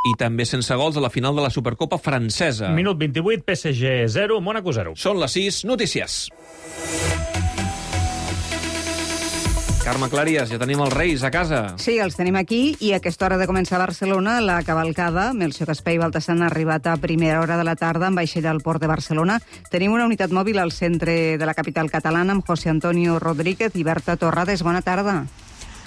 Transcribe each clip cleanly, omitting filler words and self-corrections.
i també sense gols a la final de la Supercopa francesa. Minut 28, PSG 0, Mónaco 0. Són les 6, notícies. Carme Clarias, ja tenim els Reis a casa. Sí, els tenim aquí i a aquesta hora de començar a Barcelona la cavalcada. Melcior Caspé i Baltasar han arribat a primera hora de la tarda amb vaixella al port de Barcelona. Tenim una unitat mòbil al centre de la capital catalana amb José Antonio Rodríguez i Berta Torrades. Bona tarda.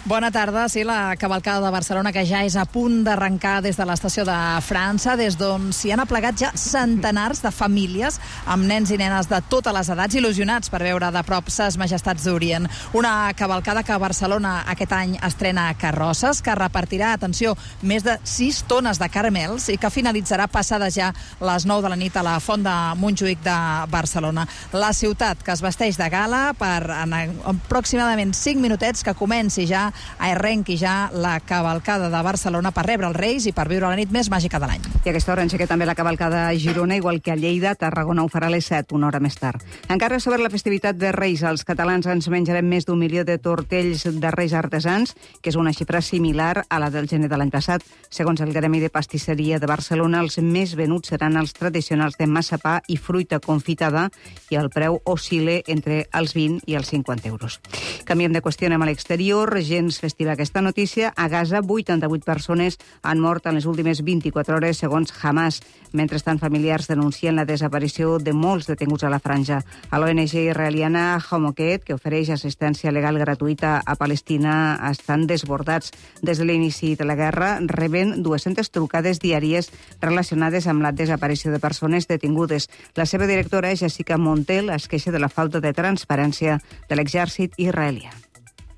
Bona tarda. Sí, la cavalcada de Barcelona que ja és a punt d'arrencar des de l'estació de França, des d'on s'hi han aplegat ja centenars de famílies amb nens i nenes de totes les edats il·lusionats per veure de prop ses majestats d'Orient. Una cavalcada que a Barcelona aquest any estrena carrosses, que repartirà, atenció, més de 6 tones de caramels i que finalitzarà passades ja les 9 de la nit a la Font de Montjuïc de Barcelona. La ciutat que es vesteix de gala per en aproximadament 5 minutets que comenci ja arrenqui ja la cavalcada de Barcelona per rebre els Reis i per viure la nit més màgica de l'any. I a aquesta hora engegué també la cavalcada a Girona, igual que a Lleida. Tarragona ho farà a les 7, una hora més tard. Encara sobre la festivitat de Reis, els catalans ens menjarem més d'1 milió de tortells de Reis artesans, que és una xifra similar a la del gener de l'any passat. Segons el Gremi de Pastisseria de Barcelona, els més venuts seran els tradicionals de massapà i fruita confitada i el preu oscil·la entre els 20 i els 50 euros. Canviem de qüestió, anem a l'exterior. Gens festiva aquesta notícia. A Gaza, 88 persones han mort en les últimes 24 hores, segons Hamas. Mentrestant, familiars denuncien la desaparició de molts detinguts a la franja. A l'ONG israeliana Hamoket, que ofereix assistència legal gratuïta a Palestina, estan desbordats. Des de l'inici de la guerra reben 200 trucades diàries relacionades amb la desaparició de persones detingudes. La seva directora, Jessica Montel, es queixa de la falta de transparència de l'exèrcit israelià.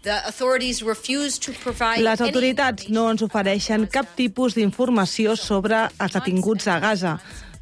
Les autoritats no ens ofereixen cap tipus d'informació sobre els detinguts a Gaza.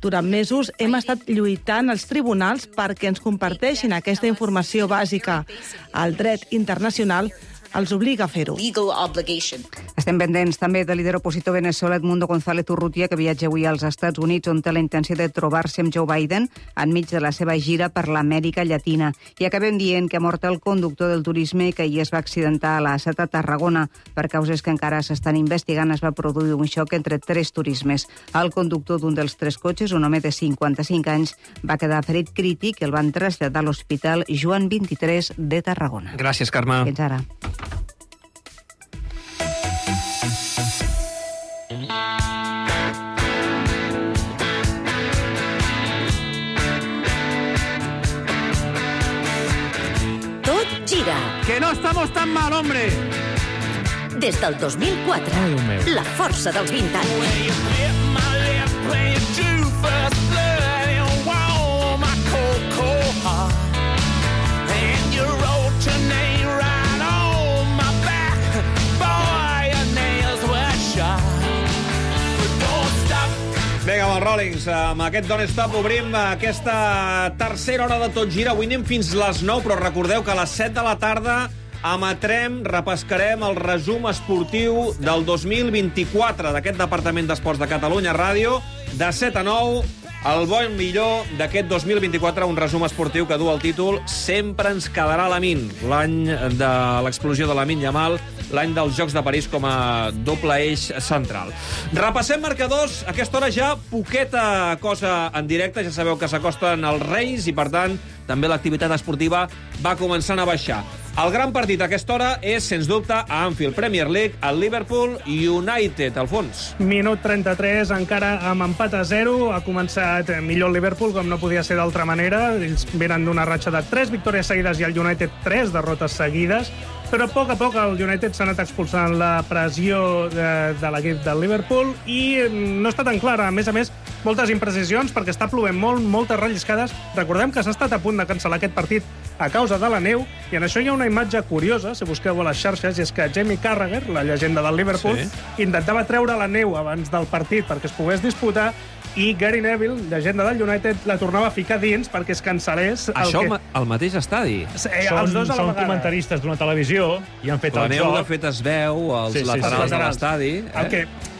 Durant mesos hem estat lluitant als tribunals perquè ens comparteixin aquesta informació bàsica. El dret internacional els obliga a fer-ho. Estem pendents també del líder opositor veneçolà Edmundo González Urrutia, que viatja avui als Estats Units, on té la intenció de trobar-se amb Joe Biden enmig de la seva gira per l'Amèrica Llatina. I acabem dient que ha mort el conductor del turisme que ahir es va accidentar a la A7 a Tarragona. Per causes que encara s'estan investigant, es va produir un xoc entre 3 turismes. El conductor d'un dels 3 cotxes, un home de 55 anys, va quedar ferit crític i el van traslladar a l'Hospital Joan 23 de Tarragona. Gràcies, Carme. Fins ara. Gira. Que no estamos tan mal, hombre. Des del 2004, la força dels 20 anys. Vinga, amb els Rollings, amb aquest Don't Stop obrim aquesta tercera hora de Tot Gira. Avui anem fins les 9, però recordeu que a les 7 de la tarda repescarem el resum esportiu del 2024 d'aquest Departament d'Esports de Catalunya Ràdio. De 7 a 9, el bo i millor d'aquest 2024, un resum esportiu que du el títol Sempre ens quedarà Lamine, l'any de l'explosió de Lamine Yamal, l'any dels Jocs de París com a doble eix central. Repassem marcadors. A aquesta hora ja poqueta cosa en directe. Ja sabeu que s'acosten els Reis i, per tant, també l'activitat esportiva va començant a baixar. El gran partit a aquesta hora és, sens dubte, a Anfield Premier League, el Liverpool United. Alfons. Minut 33, encara amb empat a 0. Ha començat millor el Liverpool, com no podia ser d'altra manera. Ells venen d'una ratxa de 3 victòries seguides i el United 3 derrotes seguides. Però a poc el United s'ha anat expulsant la pressió de l'equip del Liverpool i no està tan clara. A més, moltes imprecisions perquè està plovent molt, moltes relliscades. Recordem que s'ha estat a punt de cancel·lar aquest partit a causa de la neu, i en això hi ha una imatge curiosa, si busqueu a les xarxes, i és que Jamie Carragher, la llegenda del Liverpool, intentava treure la neu abans del partit perquè es pogués disputar, i Gary Neville, llegenda del United, la tornava a ficar dins perquè es cancel·lés... Això al mateix estadi? Els dos a la Són vegada. comentaristes d'una televisió i han fet el Planeu, de joc. fet, es veu als laterals de l'estadi.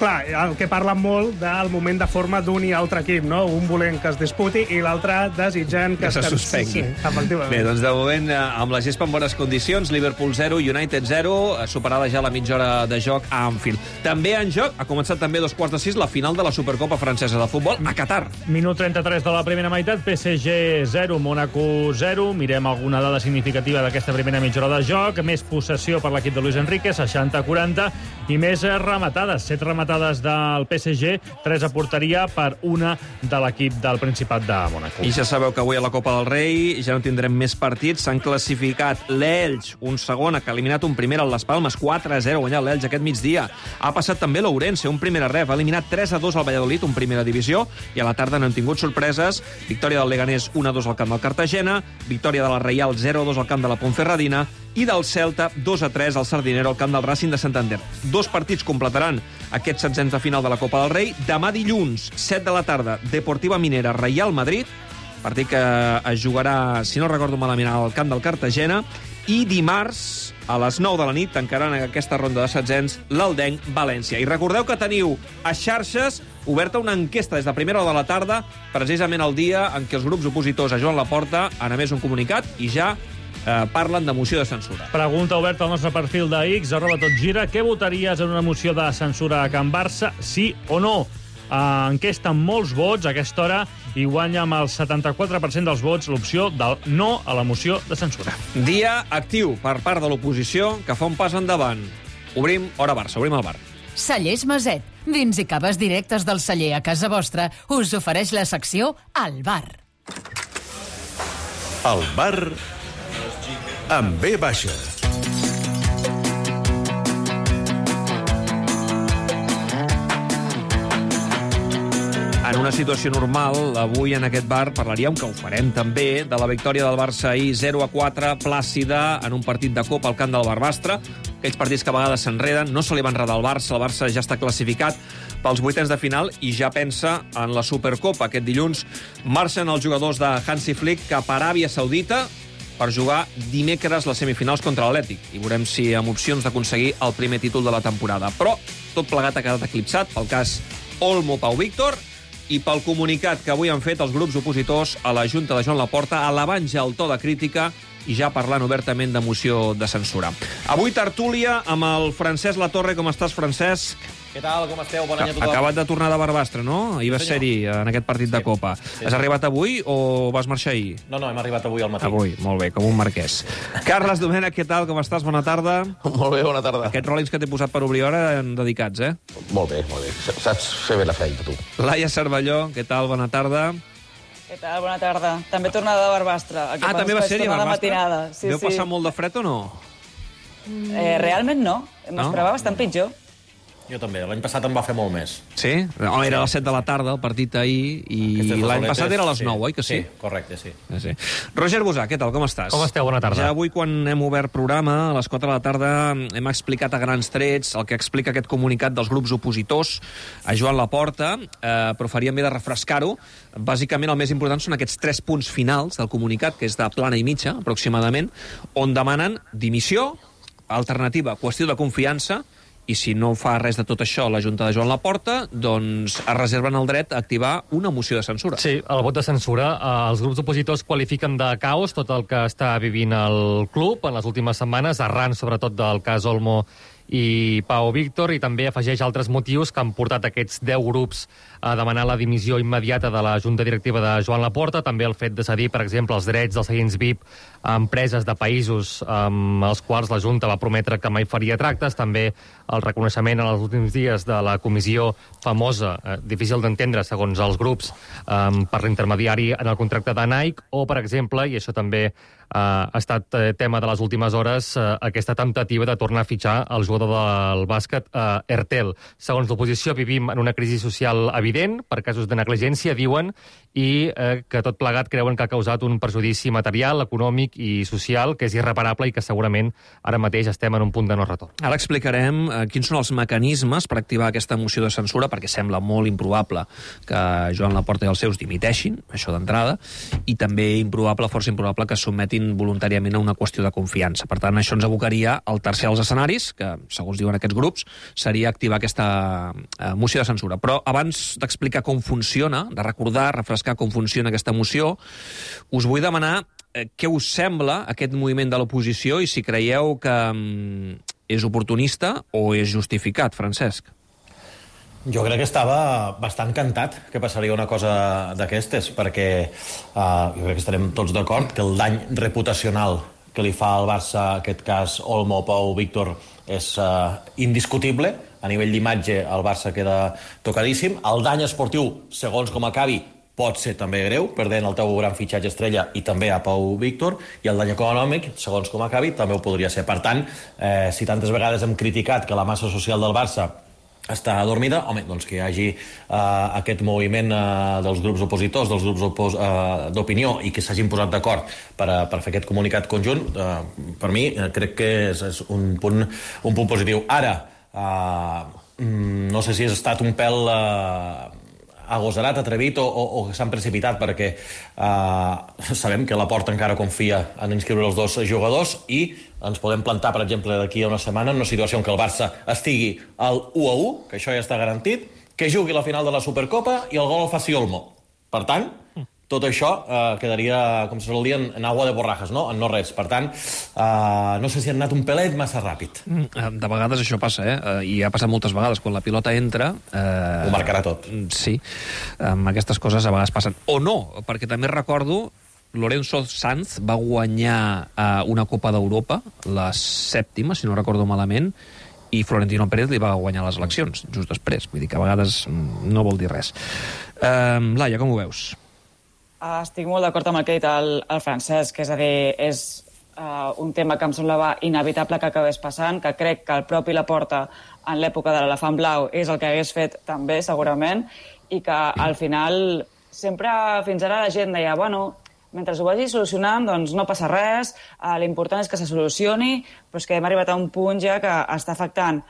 El que parlen molt del moment de forma d'un i altre equip, no? Un volent que es disputi i l'altre desitjant que se suspengui. Sí, efectivament. Bé, doncs de moment, amb la gespa en bones condicions, Liverpool 0, United 0, superada ja la mitja hora de joc a Anfield. També en joc, ha començat també a 5:45 la final de la Supercopa francesa de futbol a Qatar. Minut 33 de la primera meitat, PSG 0, Mónaco 0. Mirem alguna dada significativa d'aquesta primera mitja hora de joc. Més possessió per l'equip de Luis Enrique, 60-40, i més rematades. 7 rematades del PSG, 3 a porteria per una de l'equip del Principat de Mónaco. I ja sabeu que avui a la Copa del Rei ja no tindrem més partits. S'han classificat l'Elx, un segon, que ha eliminat un primer al Les Palmes, 4-0, guanyat l'Elx aquest migdia. Ha passat també l'Ourense, un primer a ref, ha eliminat 3-2 al Valladolid, un primera divisió, i a la tarda no han tingut sorpreses. Victòria del Leganés 1-2 al camp del Cartagena, victòria de la Reial 0-2 al camp de la Ponferradina i del Celta 2-3 al Sardinero al camp del Racing de Santander. 2 partits completaran aquests setzents de final de la Copa del Rei. Demà dilluns, 7 de la tarda, Deportiva Minera, Real Madrid, partit que es jugarà, si no recordo malament, al camp del Cartagena, i dimarts, a les 9 de la nit, tancaran aquesta ronda de setzents l'Aldenc València. I recordeu que teniu a xarxes oberta una enquesta des de primera hora de la tarda, precisament el dia en què els grups opositors a Joan Laporta han emès un comunicat i ja parlen de moció de censura. Pregunta oberta al nostre perfil de X, @totgira. Què votaries en una moció de censura a Can Barça, sí o no? Enquesta amb molts vots a aquesta hora i guanya amb el 74% dels vots l'opció del no a la moció de censura. Dia actiu per part de l'oposició que fa un pas endavant. Obrim Hora Barça, obrim el bar. Cellers Maset, vins i caves directes del celler a casa vostra, us ofereix la secció Al Bar. El bar amb B baixa. En una situació normal, avui en aquest bar parlaríem, que ho farem també, de la victòria del Barça ahir 0-4, plàcida, en un partit de Copa al camp del Barbastre. Aquells partits que a vegades s'enreden, no se li va enredar al Barça, el Barça ja està classificat pels vuitens de final i ja pensa en la Supercopa. Aquest dilluns marxen els jugadors de Hansi Flick cap a Aràbia Saudita per jugar dimecres les semifinals contra l'Atlètic. I veurem si amb opcions d'aconseguir el primer títol de la temporada. Però tot plegat ha quedat eclipsat pel cas Olmo-Pau Víctor i pel comunicat que avui han fet els grups opositors a la Junta de Joan Laporta, elevant ja el to de crítica i ja parlant obertament de moció de censura. Avui tertúlia amb el Francesc Latorre. Com estàs, Francesc? Què tal, com esteu? Bon any a tothom. Acabat de tornar de Barbastre, no? Ahir vas ser-hi en aquest partit de Copa. Has arribat avui o vas marxar ahir? No, hem arribat avui al matí. Avui, molt bé, com un marquès. Carles Domènech, què tal, com estàs? Bona tarda. Molt bé, bona tarda. Aquests Rollins que t'he posat per obrir hora eren dedicats, eh? Molt bé, molt bé. Saps fer bé la feina, tu. Laia Cervelló, què tal? Bona tarda. Què tal? Bona tarda. També tornada de Barbastre. També va ser-hi a Barbastre? Matinada. Sí, Veu passar molt de fred o no? Realment no. M'esperava bastant pitjor. Jo també. L'any passat em va fer molt més. Sí? No, era a les 7 de la tarda, el partit ahir, i l'any passat era a les 9, oi que sí? Sí, correcte, sí. Roger Bosà, què tal, com estàs? Com esteu? Bona tarda. Ja avui, quan hem obert programa, a les 4 de la tarda, hem explicat a grans trets el que explica aquest comunicat dels grups opositors a Joan Laporta, però faríem bé de refrescar-ho. Bàsicament, el més important són aquests 3 punts finals del comunicat, que és de plana i mitja, aproximadament, on demanen dimissió, alternativa, qüestió de confiança, i si no fa res de tot això la Junta de Joan Laporta, doncs es reserven el dret a activar una moció de censura. Sí, el vot de censura. Els grups opositors qualifiquen de caos tot el que està vivint el club en les últimes setmanes, arran sobretot del cas Olmo i Pau Víctor, i també afegeix altres motius que han portat aquests 10 grups a demanar la dimissió immediata de la Junta Directiva de Joan Laporta, també el fet de cedir, per exemple, els drets dels seients VIP a empreses de països amb els quals la Junta va prometre que mai faria tractes, també el reconeixement en els últims dies de la comissió famosa, difícil d'entendre segons els grups, per l'intermediari en el contracte de Nike, o, per exemple, i això també ha estat tema de les últimes hores, aquesta temptativa de tornar a fitxar el jugador jugador del bàsquet, Ertel. Segons l'oposició, vivim en una crisi social evident per casos de negligència, diuen, i que tot plegat creuen que ha causat un perjudici material, econòmic i social que és irreparable i que segurament ara mateix estem en un punt de no retorn. Ara explicarem quins són els mecanismes per activar aquesta moció de censura, perquè sembla molt improbable que Joan Laporta i els seus dimiteixin, això d'entrada, i també improbable, força improbable, que es sotmetin voluntàriament a una qüestió de confiança. Per tant, això ens abocaria al tercer dels escenaris, que, segons diuen aquests grups, seria activar aquesta moció de censura. Però abans d'explicar com funciona, de recordar, refrescar com funciona aquesta moció, us vull demanar què us sembla aquest moviment de l'oposició i si creieu que és oportunista o és justificat, Francesc. Jo crec que estava bastant cantat que passaria una cosa d'aquestes, perquè jo crec que estarem tots d'acord que el dany reputacional que li fa al Barça, aquest cas Olmo, Pau, Víctor, és indiscutible. A nivell d'imatge el Barça queda tocadíssim. El dany esportiu, segons com acabi, pot ser també greu, perdent el teu gran fitxatge estrella i també a Pau Víctor, i el dany econòmic, segons com acabi, també ho podria ser. Per tant, si tantes vegades hem criticat que la massa social del Barça està adormida, home, doncs que hi hagi aquest moviment dels grups opositors, dels grups d'opinió, i que s'hagin posat d'acord per fer aquest comunicat conjunt, per mi crec que és un punt positiu. Ara, no sé si ha estat un pèl agosarat, atrevit o que s'han precipitat, perquè sabem que Laporta encara confia en inscriure els dos jugadors i ens podem plantar, per exemple, d'aquí a una setmana en una situació en què el Barça estigui al 1-1, que això ja està garantit, que jugui la final de la Supercopa i el gol el faci Olmo. Per tant, tot això quedaria, com se sol dir, en agua de borrajas, no? En no res. Per tant, no sé si han anat un pelet massa ràpid. De vegades això passa, i ha passat moltes vegades. Quan la pilota entra... Ho marcarà tot. Sí, aquestes coses a vegades passen. O no, perquè també recordo Lorenzo Sanz va guanyar una Copa d'Europa, la 7ª, si no recordo malament, i Florentino Pérez li va guanyar les eleccions just després. Vull dir que a vegades no vol dir res. Laia, com ho veus? Estic molt d'acord amb el que ha dit el Francesc, és a dir, és un tema que em semblava inevitable que acabés passant, que crec que el propi Laporta en l'època de l'elefant blau és el que hagués fet també, segurament, i que al final sempre fins ara la gent deia, bueno, mentre ho vagi solucionant, doncs no passa res, l'important és que se solucioni, però és que hem arribat a un punt ja que està afectant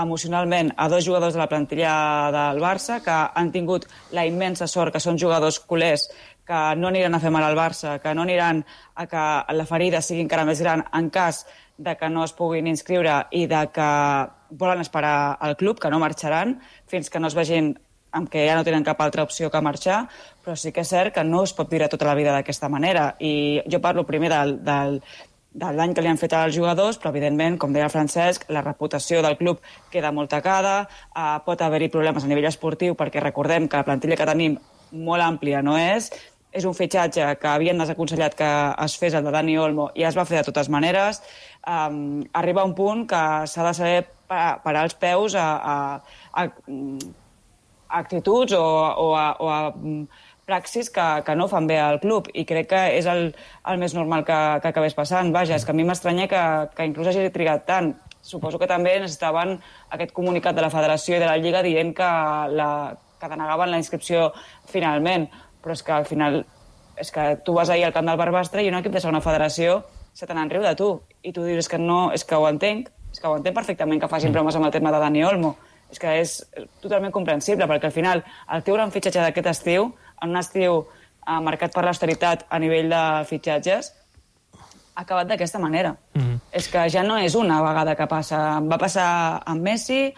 emocionalment a dos jugadors de la plantilla del Barça, que han tingut la immensa sort que són jugadors culers, que no aniran a fer mal al Barça, que no aniran a que la ferida sigui encara més gran en cas de que no es puguin inscriure i de que volen esperar al club, que no marxaran fins que no es vegin amb què ja no tenen cap altra opció que marxar, però sí que és cert que no es pot viure tota la vida d'aquesta manera. I jo parlo primer del dany que li han fet als jugadors, però evidentment, com deia el Francesc, la reputació del club queda molt tacada, pot haver-hi problemes a nivell esportiu, perquè recordem que la plantilla que tenim molt àmplia no és un fitxatge que havien desaconsellat que es fes el de Dani Olmo i es va fer de totes maneres. Arriba un punt que s'ha de saber parar els peus a actituds o a praxis que no fan bé al club, i crec que és el més normal que acabés passant. Vaja, és que a mi m'estranya que inclús hagi trigat tant. Suposo que també necessitaven aquest comunicat de la Federació i de la Lliga dient que denegaven la inscripció finalment, però és que al final és que tu vas ahir al camp del Barbastre i un equip de segona federació se te n'enriu de tu, i tu dius que no, és que ho entenc perfectament que facin bromes amb el tema de Dani Olmo. És que és totalment comprensible, perquè al final el teu gran fitxatge d'aquest estiu, en un estiu marcat per l'austeritat a nivell de fitxatges, ha acabat d'aquesta manera. És que ja no és una vegada que passa. Va passar amb Messi,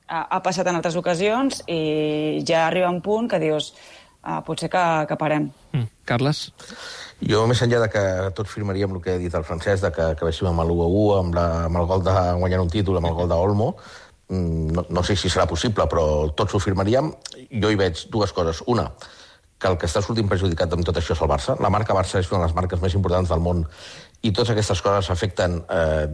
ha passat en altres ocasions, i ja arriba un punt que dius potser que parem. Carles? Jo, més enllà de que tots firmaríem el que ha dit el Francesc, de que acabéssim amb l'1-1, amb el gol de guanyar un títol, amb el gol d'Olmo, no sé si serà possible, però tots ho firmaríem. Jo hi veig dues coses. Una, que el que està sortint perjudicat amb tot això és el Barça. La marca Barça és una de les marques més importants del món i totes aquestes coses afecten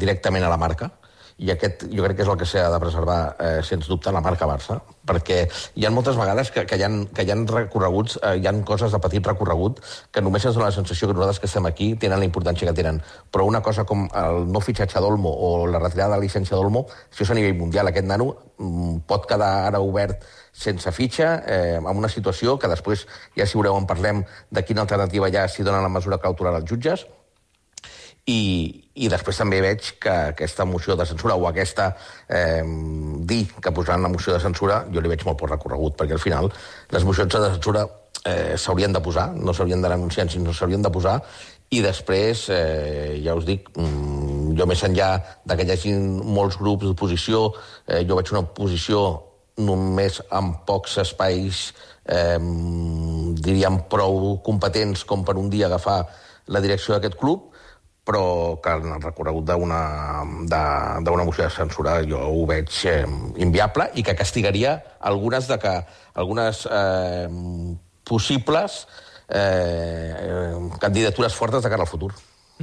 directament a la marca. I aquest jo crec que és el que s'ha de preservar, sens dubte, la marca Barça, perquè hi ha moltes vegades que hi ha recorreguts, hi ha coses de petit recorregut que només ens dona la sensació que nosaltres que estem aquí tenen la importància que tenen. Però una cosa com el no fitxatge d'Olmo o la retirada de la llicència d'Olmo, això és a nivell mundial. Aquest nano pot quedar ara obert sense fitxa, en una situació que després, ja si veureu, en parlem de quina alternativa hi ha si donen la mesura cautelar als jutges. I després també veig que aquesta moció de censura o aquesta dir que posaran la moció de censura, jo li veig molt poc recorregut, perquè al final les mocions de censura s'haurien de posar, no s'haurien de denunciar, sinó s'haurien de posar, i després, ja us dic, jo més enllà que hi hagi molts grups d'oposició, jo veig una oposició només amb pocs espais, diríem, prou competents com per un dia agafar la direcció d'aquest club, però que en el recorregut d'una moció de censura jo ho veig inviable i que castigaria algunes possibles candidatures fortes de cara al futur.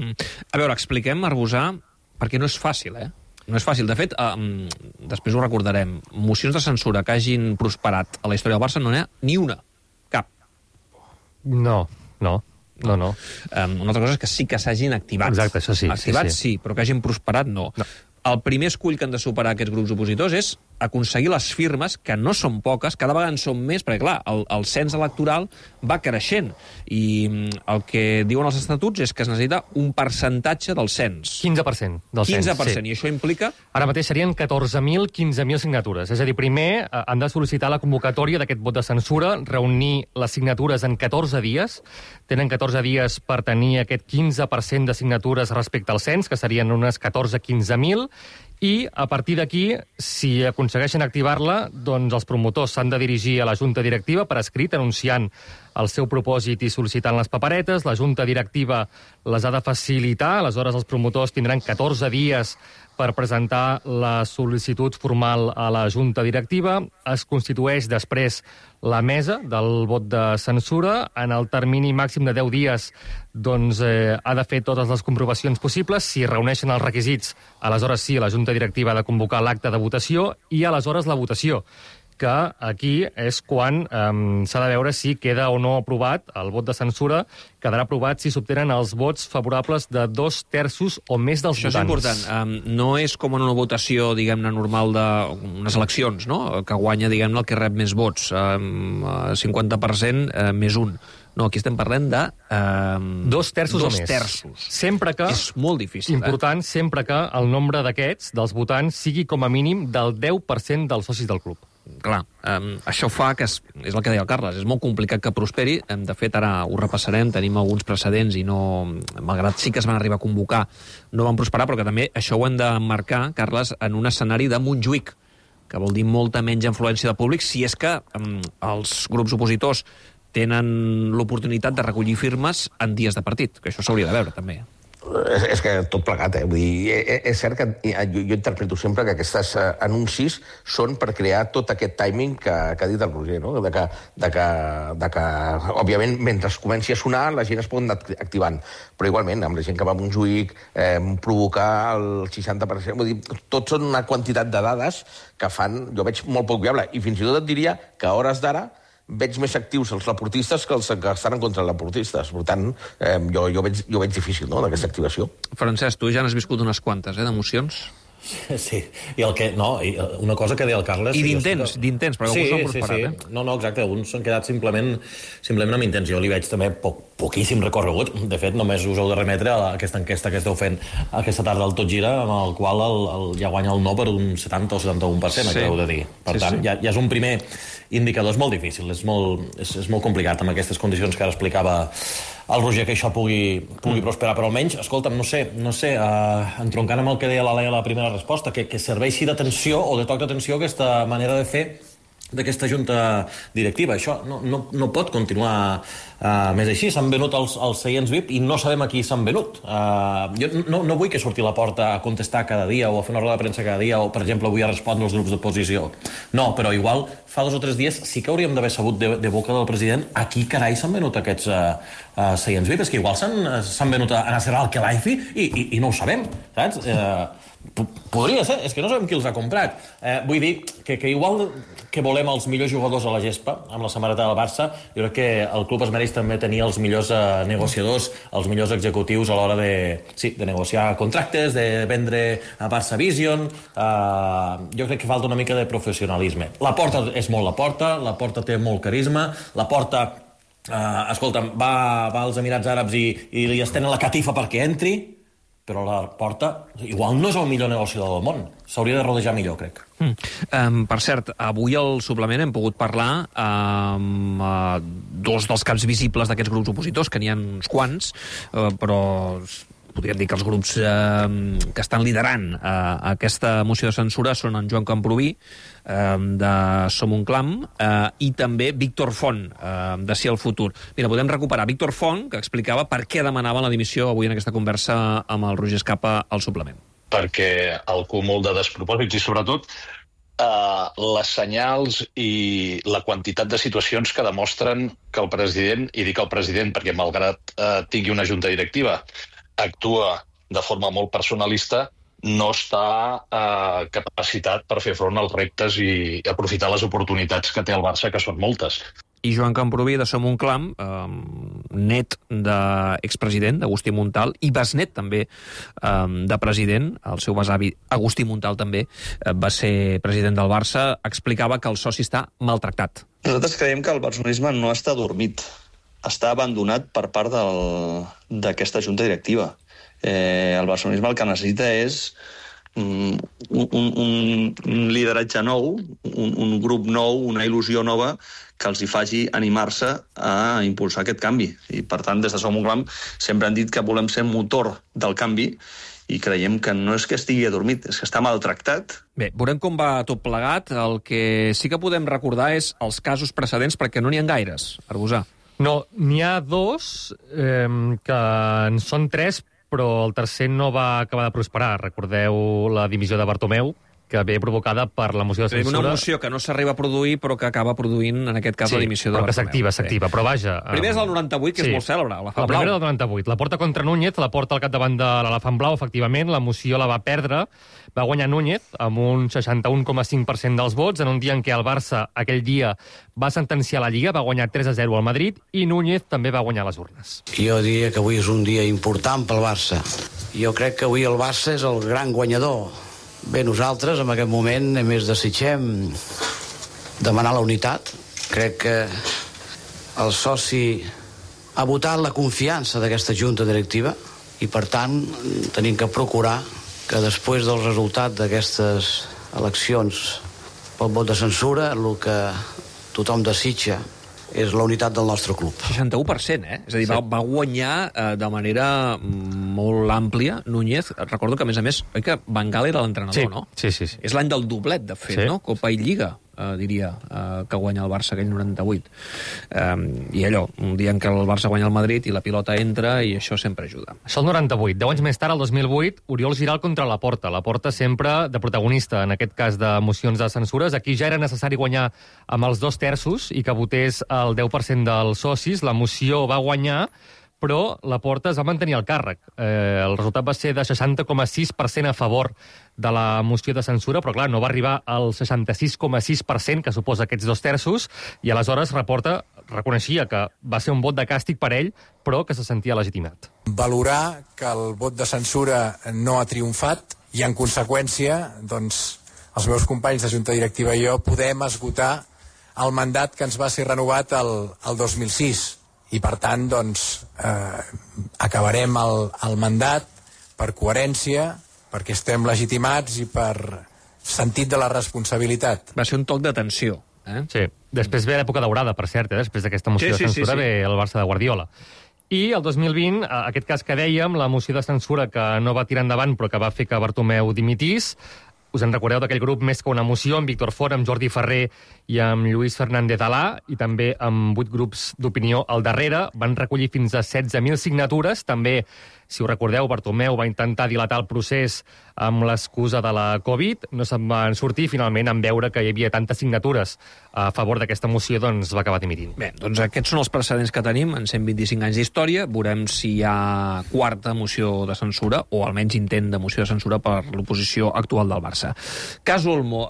A veure, expliquem, Arbusà, perquè no és fàcil, No és fàcil. De fet, després ho recordarem, mocions de censura que hagin prosperat a la història del Barça no n'hi ha ni una. Cap. No. Una altra cosa és que sí que s'hagin activat. Exacte, això sí. Activats sí, però que hagin prosperat no. El primer escull que han de superar aquests grups opositors és aconseguir les firmes, que no són poques, cada vegada en són més, perquè, clar, el cens electoral va creixent, i el que diuen els estatuts és que es necessita un percentatge del cens. 15% del cens, 15%, i això implica... Ara mateix serien 14.000, 15.000 signatures. És a dir, primer han de sol·licitar la convocatòria d'aquest vot de censura, reunir les signatures en 14 dies, tenen 14 dies per tenir aquest 15% de signatures respecte al cens, que serien unes 14-15.000, i a partir d'aquí, si aconsegueixen activar-la, doncs els promotors s'han de dirigir a la Junta Directiva per escrit, anunciant el seu propòsit i sol·licitant les paperetes. La Junta Directiva les ha de facilitar, aleshores els promotors tindran 14 dies per presentar la sol·licitud formal a la Junta Directiva. Es constitueix després la mesa del vot de censura. En el termini màxim de 10 dies doncs, ha de fer totes les comprovacions possibles. Si reuneixen els requisits, aleshores sí, la Junta Directiva ha de convocar l'acte de votació i aleshores la votació, que aquí és quan s'ha de veure si queda o no aprovat el vot de censura. Quedarà aprovat si s'obtenen els vots favorables de 2/3 o més dels votants. Això és important. No és com en una votació, diguem-ne, normal d'unes eleccions, no? Que guanya, diguem-ne, el que rep més vots. 50% més un. No, aquí estem parlant de... 2/3 o més. 2/3. Sempre que... És molt difícil, important, sempre que el nombre d'aquests, dels votants, sigui com a mínim del 10% dels socis del club. Clar, això fa que, és el que deia el Carles, és molt complicat que prosperi. De fet, ara ho repassarem, tenim alguns precedents i no, malgrat sí que es van arribar a convocar, no van prosperar, però que també això ho hem de marcar, Carles, en un escenari de Montjuïc, que vol dir molta menys influència de públic, si és que els grups opositors tenen l'oportunitat de recollir firmes en dies de partit, que això s'hauria de veure, també. És que tot plegat, Vull dir, és cert que jo interpreto sempre que aquests anuncis són per crear tot aquest timing que ha dit el Roger, no? De que, òbviament, mentre comenci a sonar, la gent es pot anar activant. Però igualment, amb la gent que va a Montjuïc, provocar el 60%... Vull dir, tot són una quantitat de dades que fan, jo veig molt poc viable. I fins i tot et diria que a hores d'ara veig més actius els laportistes que els que estan en contra dels laportistes. Per tant, jo veig difícil, no?, d'aquesta activació. Francesc, tu ja n'has viscut unes quantes, d'emocions? Sí, i una cosa que deia el Carles... I d'intents, perquè alguns s'han prosperat, No, exacte, alguns s'han quedat simplement amb intents. Jo li veig també poquíssim recorregut. De fet, només us heu de remetre a aquesta enquesta que esteu fent aquesta tarda al Tot Gira, amb el qual ja guanya el no per un 70 o 71%, acabeu de dir. Per tant, ja és un primer indicador. És molt difícil, és molt complicat amb aquestes condicions que ara explicava el Roger, que això pugui prosperar, però almenys, escolta'm, no sé, entroncant amb el que deia la Laia a la primera resposta, que serveixi d'atenció o de toc d'atenció aquesta manera de fer d'aquesta junta directiva. Això no pot continuar més així. S'han venut els seients VIP i no sabem a qui s'han venut. Jo no vull que surti a la porta a contestar cada dia o a fer una roda de premsa cada dia o, per exemple, avui a respondre als grups d'oposició. No, però igual fa 2 o 3 dies sí que hauríem d'haver sabut de boca del president a qui carai s'han venut aquests seients VIP. És que igual s'han venut a Nasser Al-Khelaifi i no ho sabem, saps? Podria ser, és que no sabem qui els ha comprat. Vull dir que igual que volem els millors jugadors a la gespa, amb la samarreta del Barça, jo crec que el club es mereix també tenir els millors negociadors, els millors executius a l'hora de negociar contractes, de vendre a Barça Vision. Jo crec que falta una mica de professionalisme. La Porta és molt la Porta té molt carisma, la Porta, escolta'm, va als Emirats Àrabs i li estenen la catifa perquè entri, però la Porta igual no és el millor negociador del món. S'hauria de rodejar millor, crec. Per cert, avui al suplement hem pogut parlar amb dos dels caps visibles d'aquests grups opositors, que n'hi ha uns quants, però podríem dir que els grups que estan liderant aquesta moció de censura són en Joan Camprubí, de Som un Clam, i també Víctor Font, de Sí al Futur. Mira, podem recuperar Víctor Font, que explicava per què demanaven la dimissió avui en aquesta conversa amb el Roger Escapa al suplement. Perquè el cúmul de despropòsits i, sobretot, les senyals i la quantitat de situacions que demostren que el president, i dic el president perquè malgrat tingui una junta directiva, actua de forma molt personalista, no està capacitat per fer front als reptes i aprofitar les oportunitats que té el Barça, que són moltes. I Joan Camprubí, de Som un Clam, net d'expresident, d'Agustí Montal, i besnet també de president, el seu besavi Agustí Montal també va ser president del Barça, explicava que el soci està maltractat. Nosaltres creiem que el barcelonisme no està dormit, està abandonat per part d'aquesta junta directiva. El barcelonisme el que necessita és un lideratge nou, un grup nou, una il·lusió nova que els hi faci animar-se a impulsar aquest canvi. I, per tant, des de Som un Clam sempre han dit que volem ser motor del canvi i creiem que no és que estigui adormit, és que està maltractat. Bé, veurem com va tot plegat. El que sí que podem recordar és els casos precedents, perquè no n'hi ha gaires, Arbusà. No, n'hi ha dos, que en són tres, però el tercer no va acabar de prosperar. Recordeu la dimissió de Bartomeu, que ve provocada per la moció de censura. Una moció que no s'arriba a produir, però que acaba produint, en aquest cas, la dimissió de Bartomeu. Però que s'activa, però vaja... Primer és el 98, que és molt cèlebre, l'Elefant Blau. La primera del 98. La porta contra Núñez, la porta al capdavant de l'Elefant Blau, efectivament, la moció la va perdre, va guanyar Núñez amb un 61,5% dels vots, en un dia en què el Barça aquell dia va sentenciar la Lliga, va guanyar 3-0 al Madrid, i Núñez també va guanyar les urnes. Jo diria que avui és un dia important pel Barça. Jo crec que avui el Barça és el gran guanyador. Bé, nosaltres, en aquest moment, només desitgem demanar la unitat. Crec que el soci ha votat la confiança d'aquesta junta directiva i, per tant, tenim que procurar que després del resultat d'aquestes eleccions pel vot de censura, el que tothom desitja és la unitat del nostre club. 61%, És a dir, va guanyar de manera molt àmplia Núñez. Recordo que, a més, oi que Van Gaal era l'entrenador, no? Sí. És l'any del doblet, de fet, no? Copa i Lliga, diria, que guanya el Barça aquell 98. I allò, un dia en què el Barça guanya el Madrid i la pilota entra, i això sempre ajuda. Això el 98. 10 anys més tard, el 2008, Oriol Giral contra la Porta. La Porta sempre de protagonista, en aquest cas de mocions de censures. Aquí ja era necessari guanyar amb els 2/3 i que votés el 10% dels socis. La moció va guanyar, però la Porta es va mantenir al càrrec. El resultat va ser de 60,6% a favor de la moció de censura, però clar, no va arribar al 66,6% que suposa aquests 2/3, i aleshores la Porta reconeixia que va ser un vot de càstig per ell, però que se sentia legitimat. Valorar que el vot de censura no ha triomfat i, en conseqüència, doncs, els meus companys de Junta Directiva i jo podem esgotar el mandat que ens va ser renovat el 2006. I, per tant, doncs, acabarem el mandat per coherència, perquè estem legitimats i per sentit de la responsabilitat. Va ser un toc d'atenció. Sí. Després ve l'època daurada, per cert, després d'aquesta moció de censura ve el Barça de Guardiola. I el 2020, aquest cas que dèiem, la moció de censura que no va tirar endavant però que va fer que Bartomeu dimitís. Us en recordeu d'aquell grup Més que una moció, amb Víctor Font, amb Jordi Ferrer i amb Lluís Fernández Alà, i també amb 8 grups d'opinió al darrere. Van recollir fins a 16.000 signatures. També Si ho recordeu, Bartomeu va intentar dilatar el procés amb l'excusa de la Covid, no se'n van sortir, finalment, en veure que hi havia tantes signatures a favor d'aquesta moció, doncs va acabar dimitint. Bé, doncs aquests són els precedents que tenim en 125 anys d'història. Veurem si hi ha quarta moció de censura, o almenys intent de moció de censura per l'oposició actual del Barça. Cas Olmo,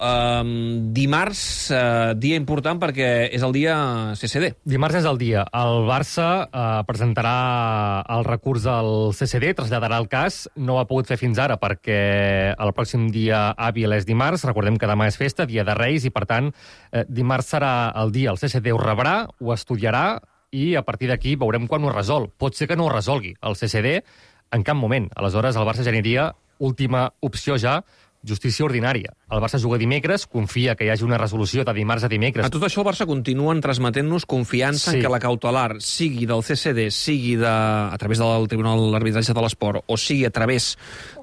dimarts, dia important perquè és el dia CCD. Dimarts és el dia. El Barça presentarà el recurs al CCD, traslladarà el cas. No ho ha pogut fer fins ara perquè el pròxim dia hàbil és dimarts. Recordem que demà és festa, dia de Reis, i per tant dimarts serà el dia. El CCD ho rebrà, ho estudiarà i a partir d'aquí veurem quan ho resol. Pot ser que no ho resolgui el CCD en cap moment. Aleshores el Barça ja aniria, última opció ja, justícia ordinària. El Barça juga dimecres, confia que hi hagi una resolució de dimarts a dimecres. A tot això el Barça continuen transmetent-nos confiança en que la cautelar sigui del CCD, sigui a través del Tribunal d'Arbitratge de l'Esport o sigui a través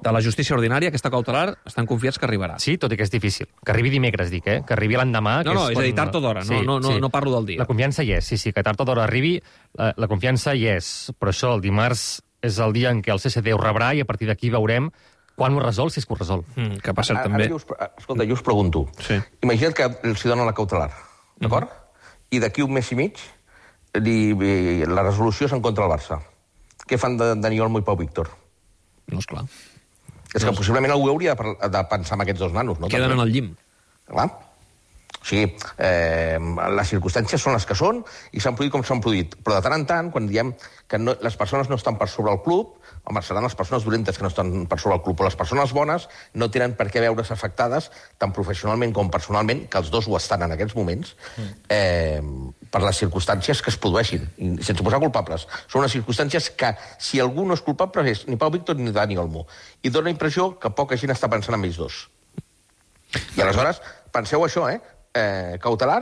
de la justícia ordinària, aquesta cautelar estan confiats que arribarà. Sí, tot i que és difícil. Que arribi dimecres, dic, que arribi l'endemà. No, és a dir, tard o d'hora, no parlo del dia. La confiança hi és, sí, que tard o d'hora arribi, la confiança hi és, però això, el dimarts és el dia en què el CCD ho rebrà i a partir d'aquí veurem quan ho resol, si és que ho resol. Que passa també... Escolta, jo us pregunto. Sí. Imagina't que els donen la cautelar, d'acord? I d'aquí un mes i mig la resolució és en contra del Barça. Què fan de Dani Olmo i Pau Víctor? No, esclar. És que possiblement algú hauria de pensar en aquests dos nanos, no? Queden en el llim. Clar. O sigui, les circumstàncies són les que són i s'han produït com s'han produït. Però de tant en tant, quan diem que les persones no estan per sobre el club, home, seran les persones dolentes que no estan per sobre el club, però les persones bones no tenen per què veure's afectades tant professionalment com personalment, que els dos ho estan en aquests moments, per les circumstàncies que es produeixin, sense posar culpables. Són unes circumstàncies que, si algú no és culpable, és ni Pau Víctor ni Dani Olmo. I dóna la impressió que poca gent està pensant en ells dos. I aleshores, penseu això, cautelar,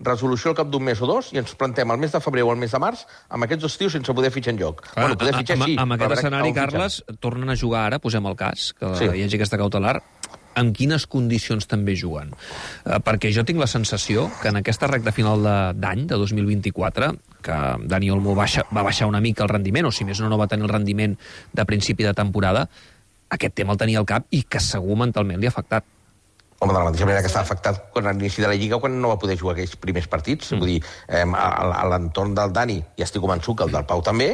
resolució al cap d'un mes o dos, i ens plantem el mes de febrer o el mes de març amb aquests dos tios sense poder fitxar enlloc. Bueno, poder fitxar sí. Amb aquest escenari, Carles, tornen a jugar ara, posem el cas, que hi hagi aquesta cautelar, amb quines condicions també juguen? Perquè jo tinc la sensació que en aquesta recta final d'any, de 2024, que Dani Olmo va baixar una mica el rendiment, o si més no va tenir el rendiment de principi de temporada, aquest tema el tenia al cap i que segur mentalment li ha afectat. Home, de la mateixa manera que està afectat quan a l'inici de la Lliga, quan no va poder jugar aquells primers partits. Vull dir, a l'entorn del Dani, i estic convençut que el del Pau també,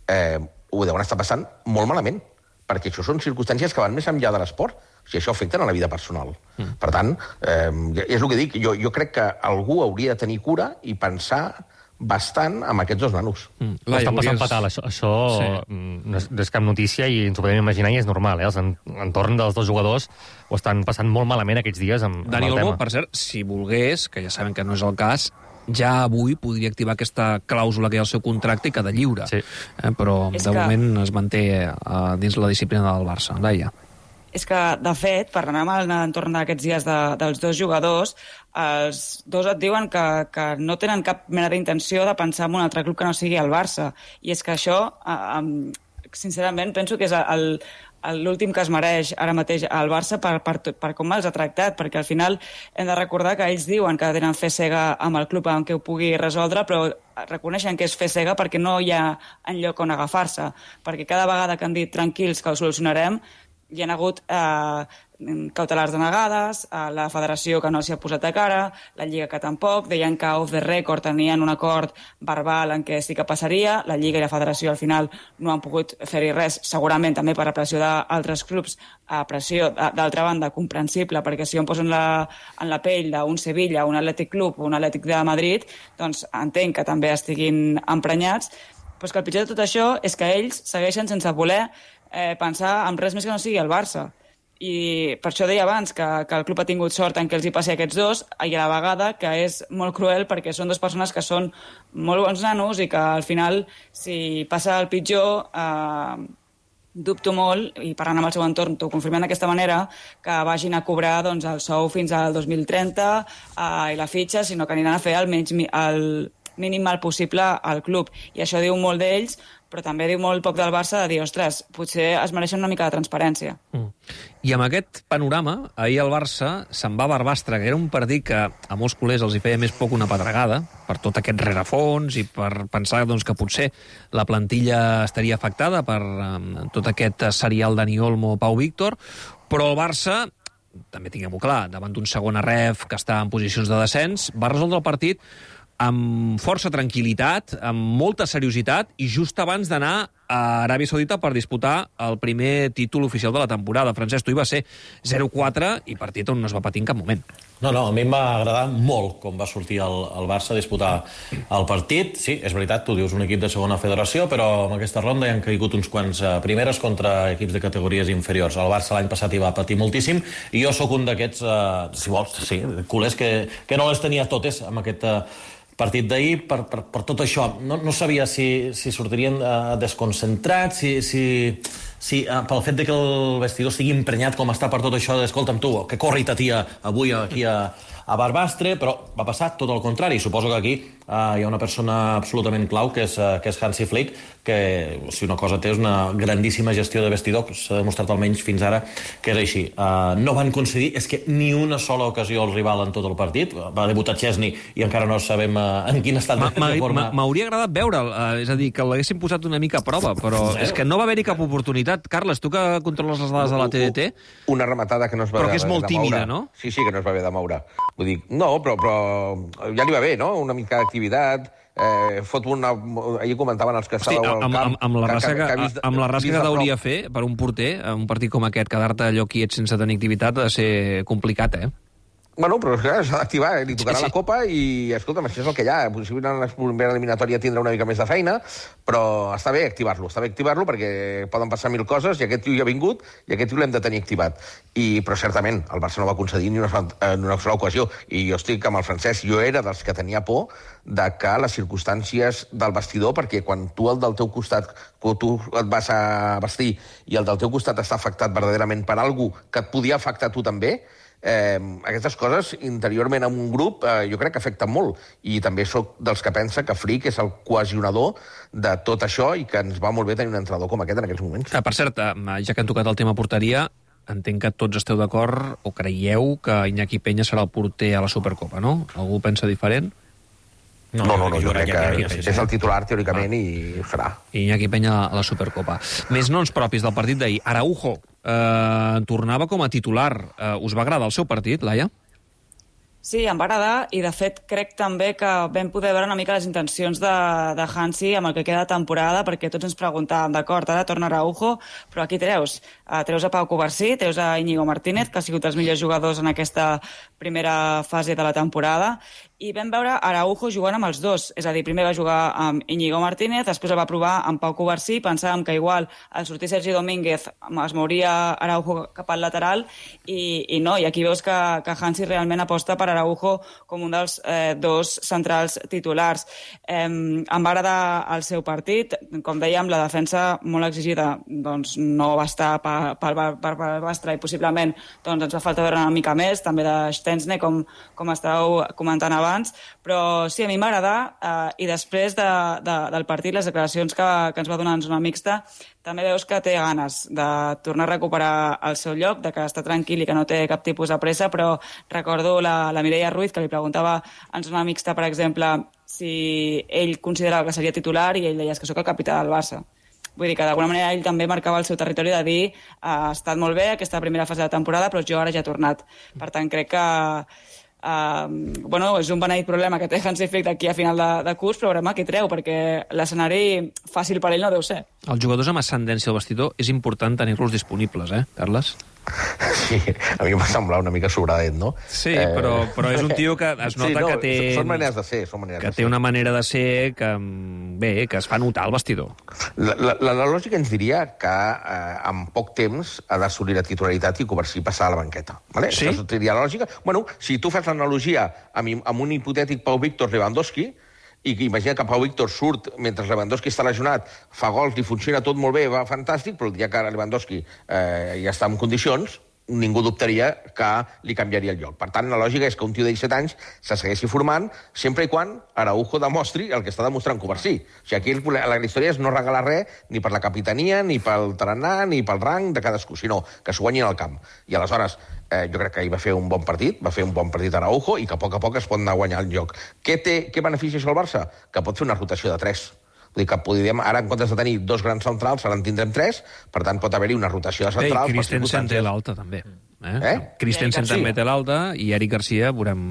ho deuen estar passant molt malament, perquè això són circumstàncies que van més enllà de l'esport. O sigui, això afecta a la vida personal. Per tant, és el que dic, jo crec que algú hauria de tenir cura i pensar bastant amb aquests dos nanos. Ho estan passant fatal, això no és cap notícia i ens ho podem imaginar i és normal, l'entorn dels dos jugadors ho estan passant molt malament aquests dies amb Dani el Olmo, tema. per cert, si volgués, que ja saben que no és el cas, ja avui podria activar aquesta clàusula que hi ha al seu contracte i quedar lliure. Però de moment es manté dins la disciplina del Barça. Laia. És que, de fet, parlant amb l'entorn d'aquests dies dels dos jugadors, els dos et diuen que no tenen cap mena d'intenció de pensar en un altre club que no sigui el Barça. I és que això, sincerament, penso que és l'últim que es mereix ara mateix al Barça per com els ha tractat, perquè al final hem de recordar que ells diuen que tenen fe cega amb el club en què ho pugui resoldre, però reconeixen que és fe cega perquè no hi ha enlloc on agafar-se, perquè cada vegada que han dit tranquils que ho solucionarem, hi ha hagut cautelars denegades, la federació que no s'hi ha posat a cara, la Lliga que tampoc, deien que off the record tenien un acord verbal en què sí que passaria, la Lliga i la federació al final no han pogut fer-hi res, segurament també per la pressió d'altres clubs, pressió d'altra banda comprensible, perquè si jo em poso en la pell d'un Sevilla, un Atlètic Club o un Atlètic de Madrid, doncs entenc que també estiguin emprenyats, però és que el pitjor de tot això és que ells segueixen sense voler pensar en res més que no sigui el Barça. I per això deia abans que el club ha tingut sort en què els hi passi a aquests dos, i a la vegada que és molt cruel perquè són dues persones que són molt bons nanos i que al final, si passa el pitjor, dubto molt, i parlant amb el seu entorn t'ho confirmem d'aquesta manera, que vagin a cobrar doncs, el sou fins al 2030 i la fitxa, sinó que aniran a fer mínim mal possible al club. I això diu molt d'ells, però també diu molt poc del Barça de dir, ostres, potser es mereixen una mica de transparència. I amb aquest panorama, ahir el Barça se'n va a Barbastre, que era un partit que a molts culers els hi feia més poc una pedregada, per tot aquest rerefons i per pensar doncs, que potser la plantilla estaria afectada per tot aquest serial Dani Olmo, Pau Víctor, però el Barça, també tinguem-ho clar, davant d'un segon ref que està en posicions de descens, va resoldre el partit amb força tranquil·litat, amb molta seriositat, i just abans d'anar a Aràbia Saudita per disputar el primer títol oficial de la temporada. Francesc, tu hi va ser 0-4 i partit on no es va patir en cap moment. No, a mi em va agradar molt com va sortir el Barça a disputar el partit. Sí, és veritat, tu dius un equip de segona federació, però en aquesta ronda hi han caigut uns quants primeres contra equips de categories inferiors. El Barça l'any passat hi va patir moltíssim, i jo sóc un d'aquests, si vols, sí, culers que no les tenia totes amb aquest partit d'ahir per tot això. No sabia si sortirien desconcentrats, si pel fet de que el vestidor estigui emprenyat com està per tot això d'escolta'm tu, que corri ta tia avui aquí a Barbastre, però va passar tot el contrari. Suposo que aquí hi ha una persona absolutament clau, que és Hansi Flick, que si una cosa té és una grandíssima gestió de vestidor, que s'ha demostrat almenys fins ara que és així. No van concedir, és que ni una sola ocasió al rival en tot el partit. Va debutar Chesney i encara no sabem en quin estat de forma. M'hauria agradat veure'l, és a dir, que l'haguessin posat una mica a prova, però és que no va haver-hi cap oportunitat. Carles, tu que controles les dades de la TDT... Una rematada que no es va però que és molt tímida, no? Sí, que no es va haver de moure. Vull dir, no, però ja li va bé, no? Una mica d'activitat, ahir comentaven els que estàveu al camp... Amb la rasca que hauria fer per un porter, un partit com aquest, quedar-te allò quiet sense tenir activitat ha de ser complicat, Bueno, però s'ha d'activar, li tocarà la Copa i, escolta'm, això és el que hi ha. Possiblement en la primera eliminatòria tindrà una mica més de feina, però està bé activar-lo perquè poden passar mil coses i aquest tio ja ha vingut i aquest tio l'hem de tenir activat. Però certament, el Barça no va concedir ni una sola ocasió. I jo estic amb el Francesc, jo era dels que tenia por de que les circumstàncies del vestidor, perquè quan tu el del teu costat, quan tu et vas a vestir i el del teu costat està afectat verdaderament per algú que et podia afectar tu també, aquestes coses interiorment en un grup jo crec que afecten molt, i també sóc dels que pensa que Flick és el cohesionador de tot això i que ens va molt bé tenir un entrenador com aquest en aquests moments. Per cert, ja que han tocat el tema porteria, entenc que tots esteu d'acord o creieu que Iñaki Peña serà el porter a la Supercopa, no? Algú pensa diferent? No, jo crec que és el titular teòricament i ho serà. Iñaki Peña a la Supercopa. Més noms propis del partit d'ahir. Araujo tornava com a titular. Us va agradar el seu partit, Laia? Sí, em va agradar, i de fet crec també que vam poder veure una mica les intencions de Hansi amb el que queda de temporada, perquè tots ens preguntàvem, d'acord, ara torna Araujo, però aquí treus a Pau Covarsí, treus a Íñigo Martínez, que ha sigut els millors jugadors en aquesta primera fase de la temporada, i vam veure Araujo jugant amb els dos, és a dir, primer va jugar amb Íñigo Martínez, després el va provar amb Pau Covarsí, pensàvem que igual al sortir Sergi Domínguez es mouria Araujo cap al lateral, i no, i aquí veus que Hansi realment aposta per Araujo com un dels dos centrals titulars. Em va agradar el seu partit, com dèiem, la defensa molt exigida doncs no va estar per Barbastre, i possiblement doncs, ens va faltar veure una mica més, també de Stensne, com estàveu comentant abans, però sí, a mi m'agrada, i després del partit, les declaracions que ens va donar en zona mixta, també veus que té ganes de tornar a recuperar el seu lloc, de que està tranquil i que no té cap tipus de pressa, però recordo la Mireia Ruiz, que li preguntava en zona mixta, per exemple, si ell considerava que seria titular, i ell deia que sóc el capità del Barça. Vull dir que d'alguna manera ell també marcava el seu territori de dir ha estat molt bé aquesta primera fase de temporada, però jo ara ja he tornat. Per tant, crec que és un beneït problema que té Hansi Flick d'aquí a final de curs, però veurem què treu, perquè l'escenari fàcil per ell no deu ser. Els jugadors amb ascendència al vestidor és important tenir-los disponibles, Carles? Sí, a mi em va semblar una mica sobradet, no? Sí, però és un tio que es nota que té... Són maneres de ser, que té una manera de ser que es fa notar al vestidor. La lògica ens diria que en poc temps ha d'assolir la titularitat i Covarsí passar a la banqueta. Sí? Això seria la lògica. Bueno, si tu fas l'analogia amb un hipotètic Pau Víctor Lewandowski, i que imagina que Pau Víctor surt mentre Lewandowski està lesionat, fa gols, li funciona tot molt bé, va fantàstic, però el dia que Lewandowski ja està en condicions, ningú dubtaria que li canviaria el lloc. Per tant, la lògica és que un tio de 17 anys se segueixi formant sempre i quan Araujo demostri el que està demostrant Covarsí. O sigui, aquí la història és no regalar res ni per la capitania, ni pel tarannà, ni pel rang de cadascú, sinó que s'ho guanyin al camp. I aleshores, jo crec que ahir va fer un bon partit Araujo i que a poc es pot anar a guanyar el lloc. Què beneficia això al Barça? Que pot fer una rotació de 3. Vull dir que podríem, ara, en comptes de tenir 2 grans centrals, ara en tindrem 3, per tant, pot haver-hi una rotació de centrals. I Christensen té l'alta, també. Christensen també té l'alta, i Eric Garcia veurem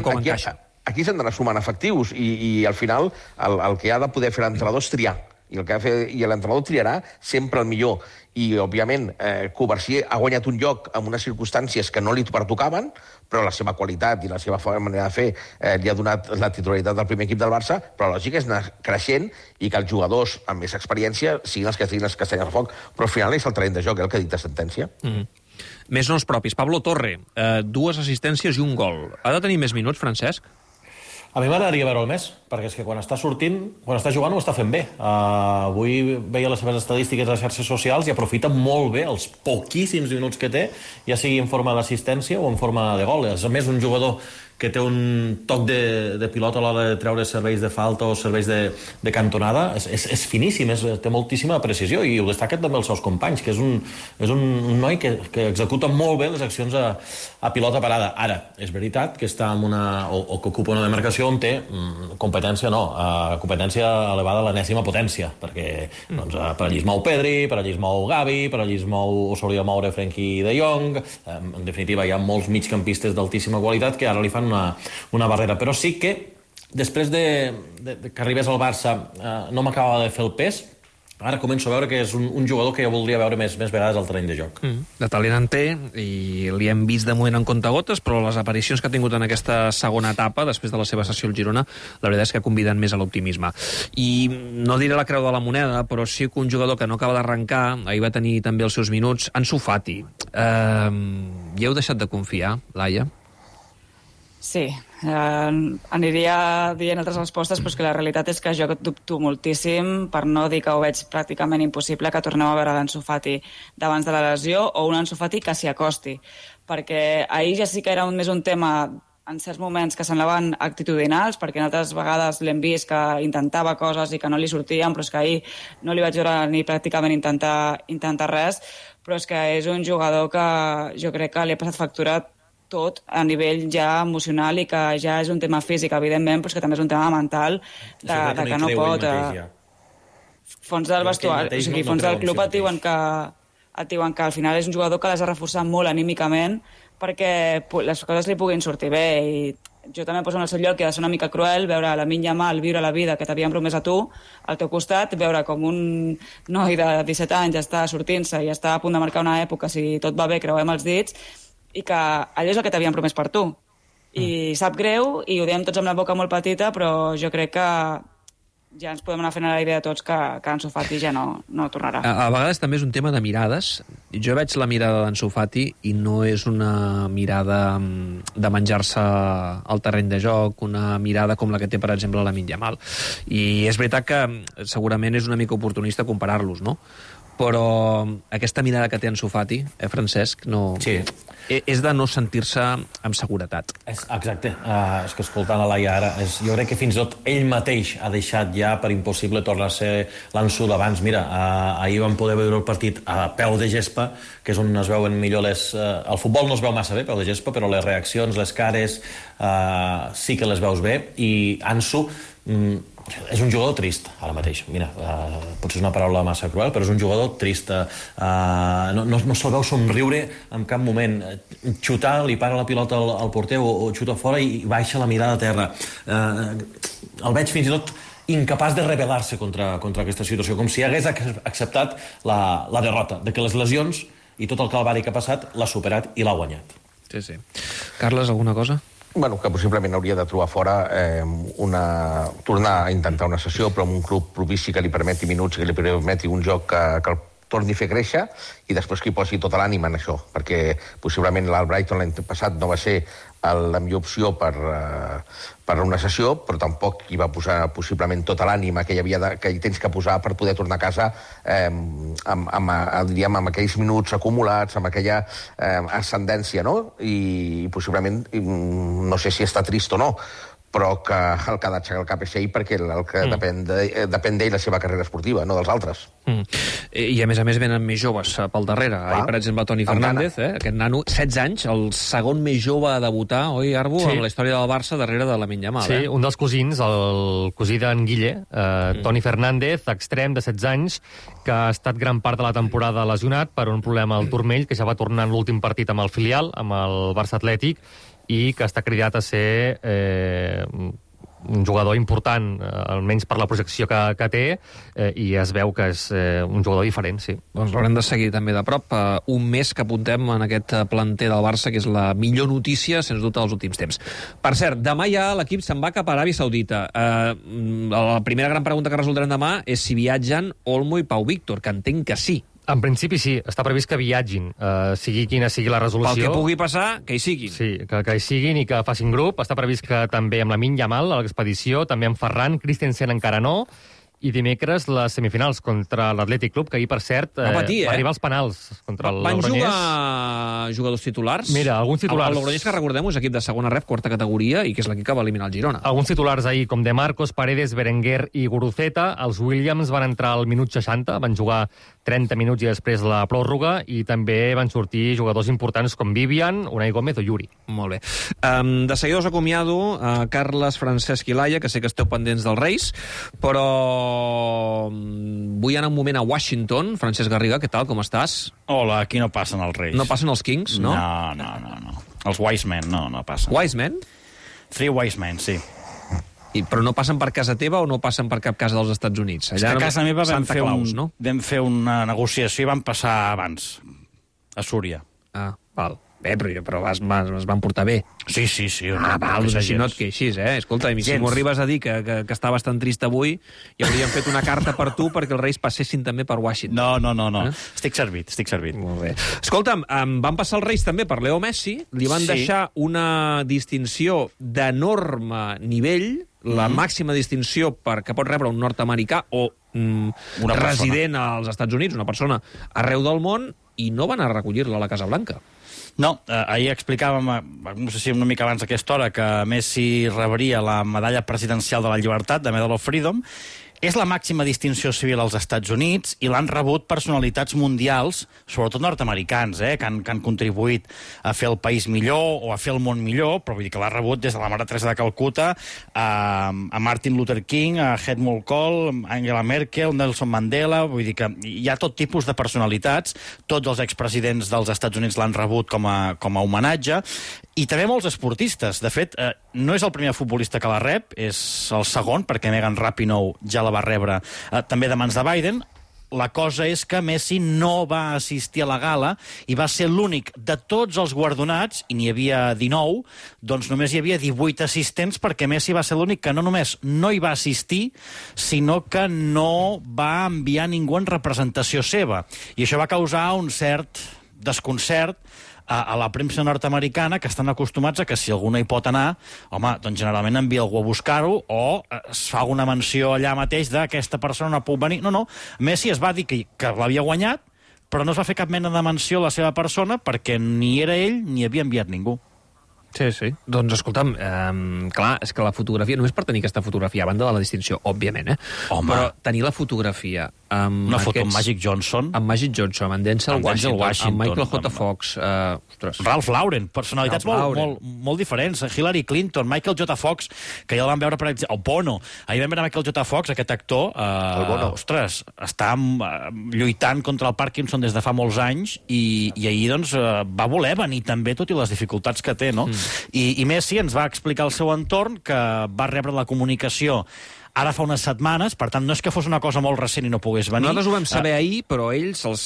com encaixa. Aquí s'han d'anar sumant efectius, i al final el que ha de poder fer l'entrenador és triar. I l'entrenador triarà sempre el millor. I, òbviament, Covarsí ha guanyat un lloc en unes circumstàncies que no li pertocaven, però la seva qualitat i la seva manera de fer li ha donat la titularitat del primer equip del Barça, però la lògica és anar creixent i que els jugadors amb més experiència siguin els que estiguin les castanyes al foc. Però al final és el terreny de joc, el que ha dit de sentència. Més noms propis. Pablo Torre, 2 assistències i un gol. Ha de tenir més minuts, Francesc? A mi m'agradaria veure'l més, perquè és que quan està sortint, quan està jugant ho està fent bé. Avui veia les seves estadístiques a les xarxes socials i aprofita molt bé els poquíssims minuts que té, ja sigui en forma d'assistència o en forma de gol. És a més un jugador que té un toc de pilota a l'hora de treure serveis de falta o serveis de cantonada. És finíssim, té moltíssima precisió, i ho destaquen també els seus companys, que és un noi que executa molt bé les accions a pilota parada. Ara, és veritat que està en o que ocupa una demarcació on té competència elevada a l'enèsima potència, perquè per allí es mou Pedri, per allí es mou Gavi, per allí es mou o s'hauria de moure Frenkie de Jong. En definitiva, hi ha molts migcampistes d'altíssima qualitat que ara li fan una barrera, però sí que després que arribés al Barça no m'acabava de fer el pes. Ara començo a veure que és un jugador que jo voldria veure més vegades al terreny de joc. De talent en té, i li hem vist de moment en comptagotes, però les aparicions que ha tingut en aquesta segona etapa, després de la seva sessió al Girona, la veritat és que conviden més a l'optimisme. I no diré la creu de la moneda, però sí que un jugador que no acaba d'arrencar, ahir va tenir també els seus minuts, Ansu Fati. Hi heu deixat de confiar, Laia? Sí, aniria dient altres respostes, però és que la realitat és que jo dubto moltíssim, per no dir que ho veig pràcticament impossible, que tornem a veure l'Ansu Fati d'abans de la lesió, o un Ansu Fati que s'hi acosti, perquè ahir ja sí que era més un tema en certs moments que semblaven actitudinals, perquè en altres vegades l'hem vist que intentava coses i que no li sortien, però és que ahir no li vaig veure ni pràcticament intentar res, però és que és un jugador que jo crec que li ha passat factura tot a nivell ja emocional, i que ja és un tema físic, evidentment, però és que també és un tema mental de que no pot. Fons del vestuari, o sigui, fons del club et diuen que al final és un jugador que l'has de reforçar molt anímicament perquè les coses li puguin sortir bé, i jo també em poso en el seu lloc, que ha de ser una mica cruel veure Lamine Yamal viure la vida que t'havien promès a tu al teu costat, veure com un noi de 17 anys està sortint-se i està a punt de marcar una època, si tot va bé, creuem els dits, i que allò és el que t'havien promès per tu. I sap greu, i ho diem tots amb la boca molt petita, però jo crec que ja ens podem anar fent a la idea tots que Ansu Fati ja no tornarà. A vegades també és un tema de mirades. Jo veig la mirada d'Ansu Fati i no és una mirada de menjar-se al terreny de joc, una mirada com la que té, per exemple, Lamine Yamal. I és veritat que segurament és una mica oportunista comparar-los, no? Però aquesta mirada que té Ansu Fati, Francesc, no... Sí. És de no sentir-se amb seguretat. Exacte. És que escoltant la Laia ara, jo crec que fins i tot ell mateix ha deixat ja per impossible tornar a ser l'Ansu d'abans. Mira, ahir vam poder veure el partit a peu de gespa, que és on es veuen millor les... El futbol no es veu massa bé, peu de gespa, però les reaccions, les cares, sí que les veus bé. I Ansu és un jugador trist, ara mateix. Mira, potser és una paraula massa cruel, però és un jugador trist. No se'l veu somriure en cap moment. Xutar, li para la pilota al porter o xuta fora i baixa la mirada a terra. El veig fins i tot incapaç de rebel·lar-se contra aquesta situació, com si hagués acceptat la derrota, de que les lesions i tot el calvari que ha passat l'ha superat i l'ha guanyat. Sí. Carles, alguna cosa? Bueno, que possiblement hauria de trobar fora tornar a intentar una sessió, però amb un club propici que li permeti minuts, que li permeti un joc que torni a fer créixer i després que hi posi tota l'ànima en això, perquè possiblement l'Albrighton l'any passat no va ser la millor opció per una sessió, però tampoc hi va posar possiblement tota l'ànima que hi tens que posar per poder tornar a casa amb aquells minuts acumulats, amb aquella ascendència, no? I possiblement, no sé si està trist o no, però que el que ha d'aixecar el cap és ell, perquè el que depèn d'ell la seva carrera esportiva, no dels altres. I a més venen més joves pel darrere. Ahir, per exemple, Toni Fernández, aquest nano, 16 anys, el segon més jove a debutar, oi, Arbu, amb la història del Barça darrere de Lamine Yamal. Sí, un dels cosins, el cosí d'en Guille, Toni Fernández, extrem de 16 anys, que ha estat gran part de la temporada lesionat per un problema al turmell, que ja va tornar en l'últim partit amb el filial, amb el Barça Atlètic, i que està cridat a ser un jugador important, almenys per la projecció que té, i es veu que és un jugador diferent, sí. Doncs l'haurem de seguir també de prop. Un mes que apuntem en aquest planter del Barça, que és la millor notícia, sens dubte, dels últims temps. Per cert, demà ja l'equip se'n va cap a Aràbia Saudita. La primera gran pregunta que resoldrem demà és si viatgen Olmo i Pau Víctor, que entenc que sí. En principi sí, està previst que viatgin, sigui quina sigui la resolució. Pel que pugui passar, que hi siguin. Sí, que hi siguin i que facin grup. Està previst que també amb Lamine Yamal, a l'expedició, també amb Ferran, Christensen encara no, i dimecres les semifinals contra l'Atlètic Club, que ahir, per cert, va arribar als penals contra el Logroñés. Van jugar jugadors titulars? Mira, alguns titulars. El Logroñés, que recordem, és equip de segona ref, quarta categoria, i que és l'equip que va eliminar el Girona. Alguns titulars ahir, com De Marcos, Paredes, Berenguer i Guruceta. Els Williams van entrar al minut 60, van jugar 30 minuts i després la pròrroga, i també van sortir jugadors importants com Vivian, Unai Gómez o Yuri. Molt bé. De seguida us acomiado a Carles, Francesc i Laia, que sé que esteu pendents dels Reis, però vull anar un moment a Washington. Francesc Garriga, què tal, com estàs? Hola, aquí no passen els Reis. No passen els Kings, no? No. Els Wise Men no passen. Wise Men? 3 Wise Men, sí. Però no passen per casa teva o no passen per cap casa dels Estats Units? Allà a casa meva vam fer una negociació i vam passar abans, a Súria. Ah, val. Bé, però es van portar bé. Sí. Val, doncs així no et queixis, Escolta, si m'ho arribes a dir que està bastant trist avui, i hauríem fet una carta per tu perquè els Reis passessin també per Washington. No. Estic servit. Molt bé. Escolta'm, van passar els Reis també per Leo Messi, li van deixar una distinció d'enorme nivell, la màxima distinció que pot rebre un nord-americà o resident als Estats Units, una persona arreu del món, i no van a recollir-la a la Casa Blanca. No, ahir explicàvem, no sé si una mica abans d'aquesta hora, que Messi rebria la medalla presidencial de la llibertat, de Medal of Freedom. És la màxima distinció civil als Estats Units i l'han rebut personalitats mundials, sobretot nord-americans, que han contribuït a fer el país millor o a fer el món millor, però vull dir que l'ha rebut des de la Mare Teresa de Calcuta a Martin Luther King, a Helmut Kohl, a Angela Merkel, Nelson Mandela. Vull dir que hi ha tot tipus de personalitats. Tots els expresidents dels Estats Units l'han rebut com a homenatge. I també molts esportistes. De fet, no és el primer futbolista que la rep, és el segon, perquè Megan Rapinoe ja la va rebre també de mans de Biden. La cosa és que Messi no va assistir a la gala i va ser l'únic de tots els guardonats, i n'hi havia 19, doncs només hi havia 18 assistents, perquè Messi va ser l'únic que no només no hi va assistir, sinó que no va enviar ningú en representació seva. I això va causar un cert desconcert a la premsa nord-americana, que estan acostumats a que si algú no hi pot anar, home, doncs generalment envia algú a buscar-ho o es fa una menció allà mateix d'aquesta persona no puc venir. No, Messi es va dir que l'havia guanyat, però no es va fer cap mena de menció a la seva persona perquè ni era ell ni havia enviat ningú. Sí. Doncs, escolta'm, clar, és que la fotografia, només per tenir aquesta fotografia, a banda de la distinció, òbviament, Home. però tenir la fotografia amb foto amb Magic Johnson. Amb Magic Johnson, amb Denzel Washington, amb Michael J. Fox. Ralph Lauren, personalitats molt diferents. Hillary Clinton, Michael J. Fox, que ja el vam veure, per exemple, el Bono. Ahir vam veure Michael J. Fox, aquest actor, ostres, està lluitant contra el Parkinson des de fa molts anys i ahir doncs, va voler venir també, tot i les dificultats que té, no? I Messi ens va explicar el seu entorn, que va rebre la comunicació ara fa unes setmanes, per tant, no és que fos una cosa molt recent i no pogués venir. Nosaltres ho vam saber ahir, però ells, els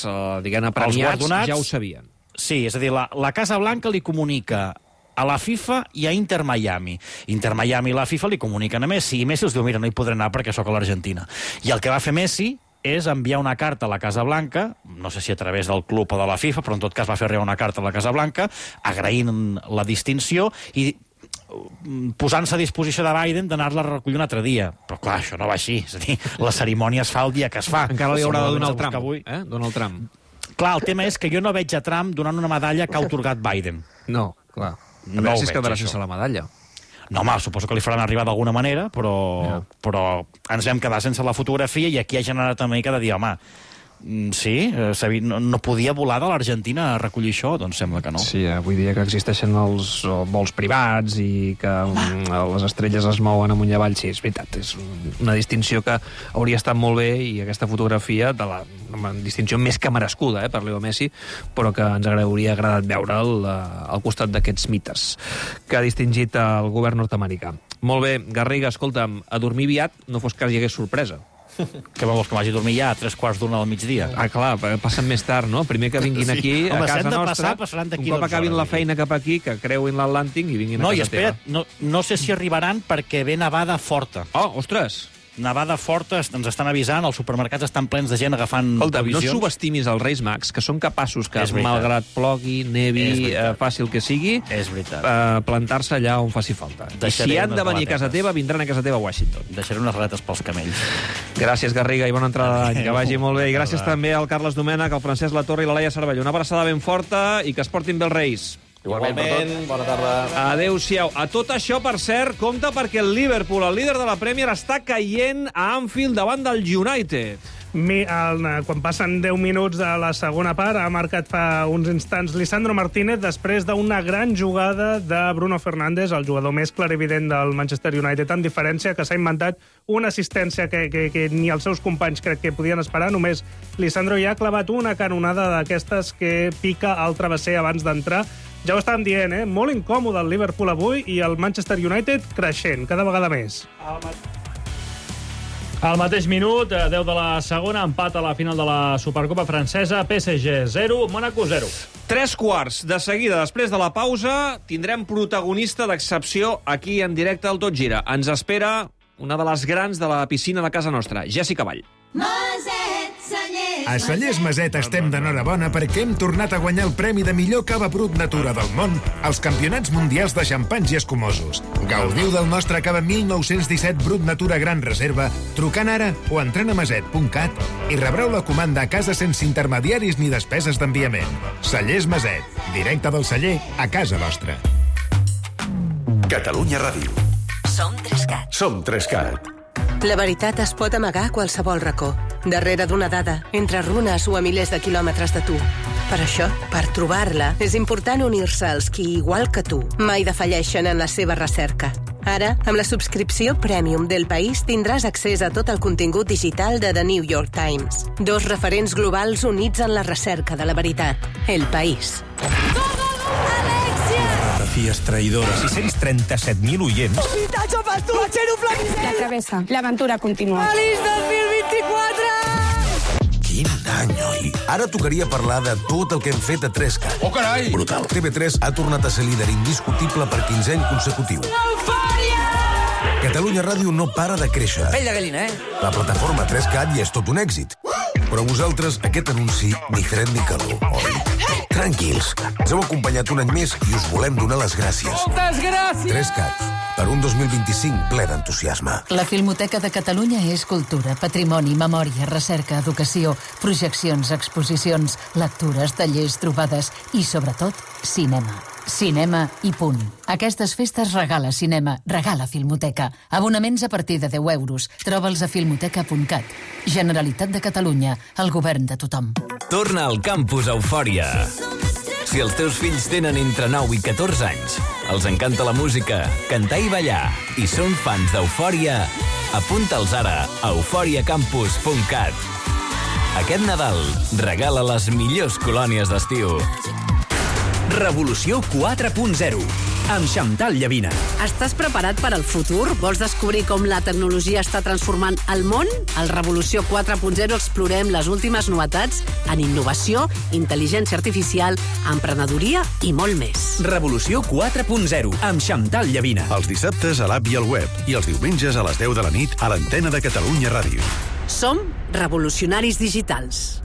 premiats, ja ho sabien. Sí, és a dir, la Casa Blanca li comunica a la FIFA i a Inter Miami. Inter Miami i la FIFA li comuniquen a Messi, i Messi els diu, mira, no hi podré anar perquè sóc a l'Argentina. I el que va fer Messi és enviar una carta a la Casa Blanca, no sé si a través del club o de la FIFA, però en tot cas va fer arribar una carta a la Casa Blanca, agraint la distinció i posant-se a disposició de Biden d'anar-la a recollir un altre dia. Però clar, això no va així. És a dir, la cerimònia es fa el dia que es fa. Encara li haurà de donar el Trump, Donald Trump. Clar, el tema és que jo no veig a Trump donant una medalla que ha atorgat Biden. No, clar. A veure si es quedarà sense la medalla. No, home, suposo que li faran arribar d'alguna manera, però ens vam quedar sense la fotografia i aquí ha generat una mica de dir, home, sí, no podia volar de l'Argentina a recollir això? Doncs sembla que no. Sí, avui dia que existeixen els vols privats i que les estrelles es mouen amunt i avall, sí, és veritat, és una distinció que hauria estat molt bé i aquesta fotografia de una distinció més que merescuda per Leo Messi, però que ens hauria agradat veure'l al costat d'aquests mites que ha distingit el govern nord-americà. Molt bé, Garriga, escolta'm, a dormir aviat no fos que hi hagués sorpresa. Que vols que m'hagi a dormir ja a 3:45 del migdia? Ah, clar, passen més tard, no? Primer que vinguin aquí a casa nostra, un cop acabin la feina cap aquí, que creuin l'Atlàntic i vinguin a casa teva. No, i espera't, no sé si arribaran perquè ve nevada forta. Oh, ostres! Nevada forta, ens estan avisant, els supermercats estan plens de gent agafant previsions. No subestimis els Reis Mags, que són capaços que, malgrat plogui, nevi, fàcil que sigui, plantar-se allà on faci falta. I si han de venir a casa teva, vindran a casa teva a Washington. Deixaré unes raretes pels camells. Gràcies, Garriga, i bona entrada d'any. Que vagi molt bé. I gràcies també al Carles Domènech, al Francesc Latorre i la Laia Cervelló. Una abraçada ben forta i que es portin bé els Reis. Igualment, bona tarda. Adéu-siau. A tot això, per cert, compte perquè el Liverpool, el líder de la Premier, està caient a Anfield davant del United. Quan passen 10 minuts de la segona part, ha marcat fa uns instants Lisandro Martínez després d'una gran jugada de Bruno Fernández, el jugador més clarivident del Manchester United, amb diferència que s'ha inventat una assistència que ni els seus companys crec que podien esperar. Només Lisandro ja ha clavat una canonada d'aquestes que pica al travesser abans d'entrar. Ja ho estàvem dient, molt incòmode el Liverpool avui i el Manchester United creixent, cada vegada més. Al mateix minut, 10 de la segona, empat a la final de la Supercopa francesa, PSG 0, Mónaco 0. 3:15 de seguida, després de la pausa, tindrem protagonista d'excepció aquí en directe al Tot Gira. Ens espera una de les grans de la piscina de casa nostra, Jessica Vall. A Cellers Maset estem d'enhorabona perquè hem tornat a guanyar el premi de millor cava brut natura del món als Campionats Mundials de Xampanys i Escumosos. Gaudiu del nostre cava 1917 brut natura gran reserva trucant ara o entrant a maset.cat i rebreu la comanda a casa sense intermediaris ni despeses d'enviament. Cellers Maset, directe del celler a casa vostra. Catalunya Ràdio. Som 3CAT. Som 3CAT. La veritat es pot amagar a qualsevol racó, darrere d'una dada, entre runes o a milers de quilòmetres de tu. Per això, per trobar-la, és important unir-se als qui, igual que tu, mai defalleixen en la seva recerca. Ara, amb la subscripció Premium del País, tindràs accés a tot el contingut digital de The New York Times. 2 referents globals units en la recerca de la veritat. El País. Fotografies traïdores. 637.000 oients. La travessa. L'aventura continua. Feliç 2024! Quin any, oi? Ara tocaria parlar de tot el que hem fet a 3CAT. Oh, carai! Brutal. TV3 ha tornat a ser líder indiscutible per 15è any consecutiu. Catalunya Ràdio no para de créixer. Pell de gallina, La plataforma 3CAT ja és tot un èxit. Però vosaltres, aquest anunci, ni fred ni calor, oi? Tranquils, ens heu acompanyat un any més i us volem donar les gràcies. Moltes gràcies! 3CAT, per un 2025 ple d'entusiasme. La Filmoteca de Catalunya és cultura, patrimoni, memòria, recerca, educació, projeccions, exposicions, lectures, tallers, trobades i, sobretot, cinema. Cinema i punt. Aquestes festes regala cinema, regala Filmoteca. Abonaments a partir de 10 euros. Troba'ls a filmoteca.cat. Generalitat de Catalunya, el govern de tothom. Torna al campus Eufòria. Si els teus fills tenen entre 9 i 14 anys, els encanta la música, cantar i ballar, i són fans d'Eufòria, apunta'ls ara a euforiacampus.cat. Aquest Nadal, regala les millors colònies d'estiu. Revolució 4.0, amb Xantal Llavina. Estàs preparat per al futur? Vols descobrir com la tecnologia està transformant el món? Al Revolució 4.0 explorem les últimes novetats en innovació, intel·ligència artificial, emprenedoria i molt més. Revolució 4.0, amb Xantal Llavina. Els dissabtes a l'app i al web i els diumenges a les 10 de la nit a l'antena de Catalunya Ràdio. Som revolucionaris digitals.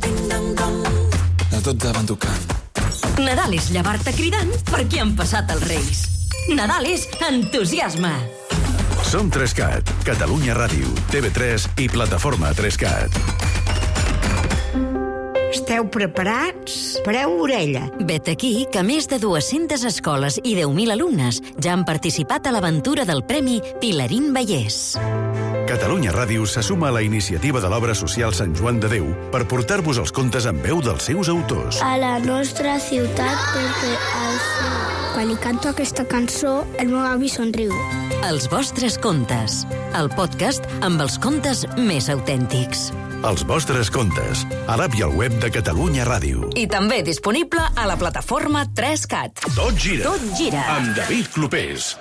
A tot davant tocant. Nadal és llevar-te cridant perquè han passat els Reis. Nadal és entusiasme. Som 3CAT, Catalunya Ràdio, TV3 i plataforma 3CAT. Esteu preparats? Pareu orella. Vet aquí que més de 200 escoles i 10.000 alumnes ja han participat a l'aventura del Premi Pilarín Vallès. Catalunya Ràdio se suma a la iniciativa de l'obra social Sant Joan de Déu per portar-vos els contes en veu dels seus autors. A la nostra ciutat, perquè quan hi canto aquesta cançó, el meu avi somriu. Els vostres contes. El podcast amb els contes més autèntics. Els vostres contes, a l'app i al web de Catalunya Ràdio. I també disponible a la plataforma 3CAT. Tot gira. Tot gira. Amb David Clopés.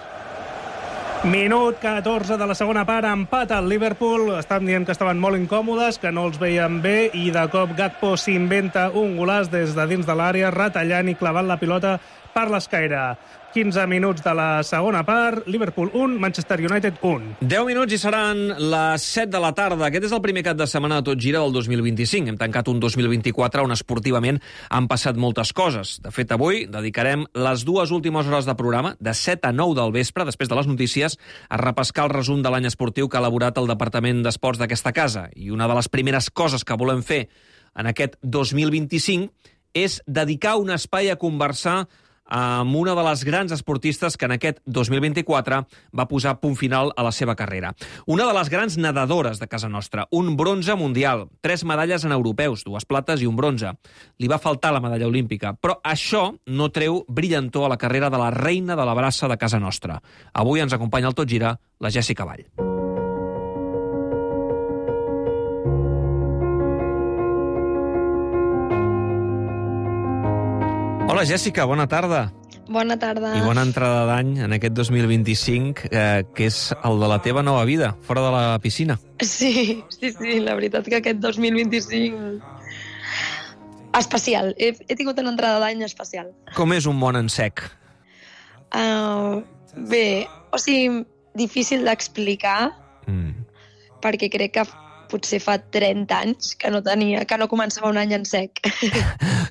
Minut 14 de la segona part, empat al Liverpool. Estàvem dient que estaven molt incòmodes, que no els veien bé, i de cop Gakpo s'inventa un golaç des de dins de l'àrea, retallant i clavant la pilota per l'escaire. 15 minuts de la segona part, Liverpool 1, Manchester United 1. 10 minuts i seran les 7 de la tarda. Aquest és el primer cap de setmana de Tot Gira del 2025. Hem tancat un 2024 on esportivament han passat moltes coses. De fet, avui dedicarem les 2 últimes hores de programa, de 7 a 9 del vespre, després de les notícies, a repescar el resum de l'any esportiu que ha elaborat el Departament d'Esports d'aquesta casa. I una de les primeres coses que volem fer en aquest 2025 és dedicar un espai a conversar amb una de les grans esportistes que en aquest 2024 va posar punt final a la seva carrera. Una de les grans nedadores de casa nostra, un bronze mundial, 3 medalles en europeus, 2 plates i un bronze. Li va faltar la medalla olímpica, però això no treu brillantor a la carrera de la reina de la braça de casa nostra. Avui ens acompanya al Tot Gira la Jèssica Vall. Hola, Jèssica, bona tarda. Bona tarda. I bona entrada d'any en aquest 2025, que és el de la teva nova vida, fora de la piscina. Sí, la veritat que aquest 2025... especial. He tingut una entrada d'any especial. Com és un món en sec? Bé, o sigui, difícil d'explicar, perquè crec que potser fa 30 anys que no començava un any en sec.